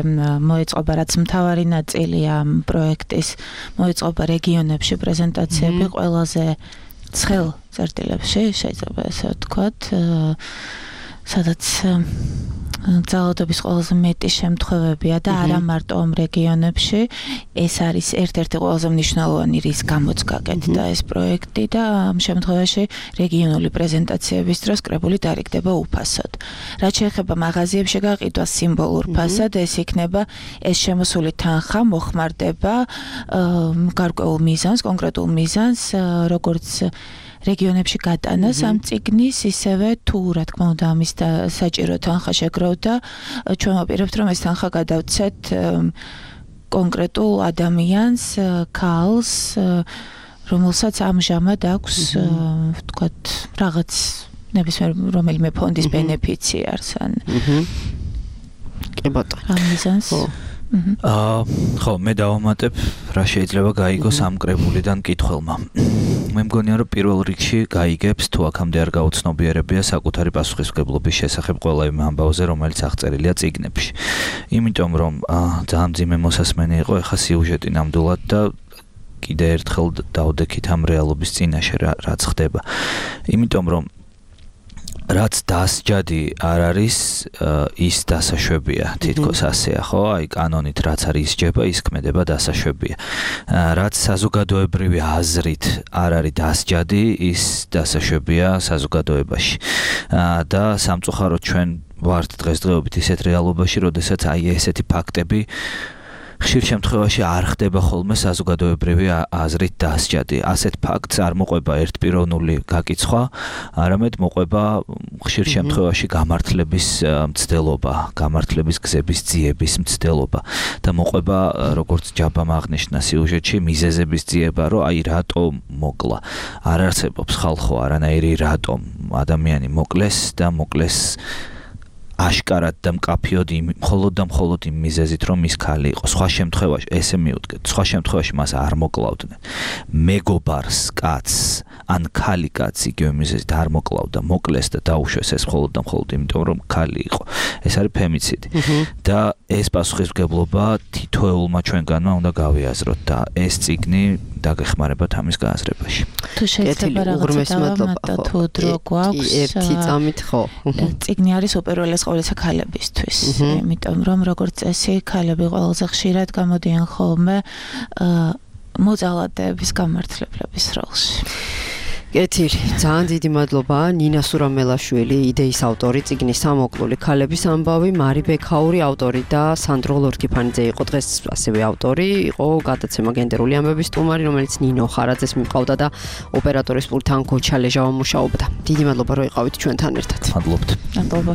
მოეწყობა რაც მთავარი ნაწილია ამ პროექტის, მოეწყობა რეგიონებში პრეზენტაციები ყველაზე ცხელ წერტილებში, შეიძლება ესე ვთქვათ, სადაც ძალადობის ყველაზე მეტი შემთხვევებია და არა მარტო ამ რეგიონებში. ეს არის ერთ-ერთი ყველაზე მნიშვნელოვანი რის გამოც გაკეთდა ეს პროექტი და ამ შემთხვევაში რეგიონული პრეზენტაციების დროს კრებული დარიგდება უფასოდ. რაც შეეხება მაღაზიებში გაყიდვას სიმბოლურ ფასად, ეს იქნება ეს შემოსული თანხა მოხმარდება გარკვეულ მიზანს, კონკრეტულ მიზანს, როგორც რეგიონებში გატანას ამ წიგნის, ისევე თუ რა თქმა უნდა ამის საჭირო თანხა შეგროვდა, ჩვენ ვაპირებთ რომ ეს თანხა გადავცეთ კონკრეტულ ადამიანს, ქალს, რომელსაც ამჟამად აქვს, ვთქვათ, რაღაც ნებისმიერ რომელიმე ფონდის ბენეფიციარს ან კი ბატონო. ამ მიზანს ხო, მე დავამატებ, რა შეიძლება გაიგოს ამ კრებულიდან მკითხველმა. მე მგონია, რომ პირველ რიგში გაიგებს, თუ აქამდე არ გაუცნობიერებია საკუთარი პასუხისმგებლობის შესახებ ყველა იმ ამბავზე, რომელიც აღწერილია წიგნებში. იმიტომ რომ ძალიან მძიმე მოსასმენი იყო ეხა სიუჟეტი ნამდვილად და კიდე ერთხელ დავდექით ამ რეალობის წინაშე რაც ხდება. იმიტომ რომ რაც დასჯადი არ არის, ის დასაშვებია, თითქოს ასეა, ხო? აი კანონით რაც არის ისჯება, ის ქმედება დასაშვებია. რაც საზოგადოებრივი აზრით არ არის დასჯადი, ის დასაშვებია საზოგადოებაში. და სამწუხაროდ ჩვენ ვართ დღესდღეობით ისეთ რეალობაში, როდესაც აი ესეთი ფაქტები ხშირ შემთხვევაში არ ხდება ხოლმე საზოგადოებრივი აზრით დასჯადი. ასეთ ფაქტს არ მოყვება ერთპიროვნული გაკიცხვა, არამედ მოყვება ხშირ შემთხვევაში გამართლების მცდელობა, გამართლების გზების ძიების მცდელობა და მოყვება როგორც ჯაბამ აღნიშნა სიუჟეტში მიზეზების ძიება, რომ აი რატო მოკლა. არ არსებობს ხალხო არანაირი რატომ ადამიანი მოკლეს და მოკლეს აშკარად და მკაფიოდ მხოლოდ იმ მიზეზით, რომ ის ქალი იყო. სხვა შემთხვევაში, ესე მივუდგეთ, სხვა შემთხვევაში მას არ მოკლავდნენ. მეგობარს, კაცს, ან ქალი კაცს იგივე მიზეზით არ მოკლავდა, მოკლეს და დაუშვეს ეს მხოლოდ და მხოლოდ იმიტომ, რომ ქალი იყო. ეს არის ფემიციდი. და ეს პასუხისმგებლობა თითოეულმა ჩვენგანმა უნდა გავიაზროთ და ეს წიგნი დაგეხმარებათ ამის გააზრებაში. თუ შეიძლება რაღაცა დავამატო, თუ დრო გვაქვს, ერთი წამით ხო. წიგნი არის უპირველეს ყოვლისა ქალებისთვის, იმიტომ რომ როგორც წესი ქალები ყველაზე ხშირად გამოდიან ხოლმე მოძალადეების გამართლებლების როლში. კეთილი, ძალიან დიდი მადლობა ნინა სურამელაშვილი, იდეის ავტორი, წიგნის სამოკლული ქალების ამბავი, მარი ბექაური ავტორი და სანდრო ლორკიფანიძე იყო დღეს ასევე ავტორი, იყო გადაცემა გენდერული ამბების სტუმარი, რომელიც ნინო ხარაძეს მიყავდა და ოპერატორის პულტთან გოჩა ლეჟავა მუშაობდა. დიდი მადლობა რომ იყავით ჩვენთან ერთად. მადლობთ. მადლობა.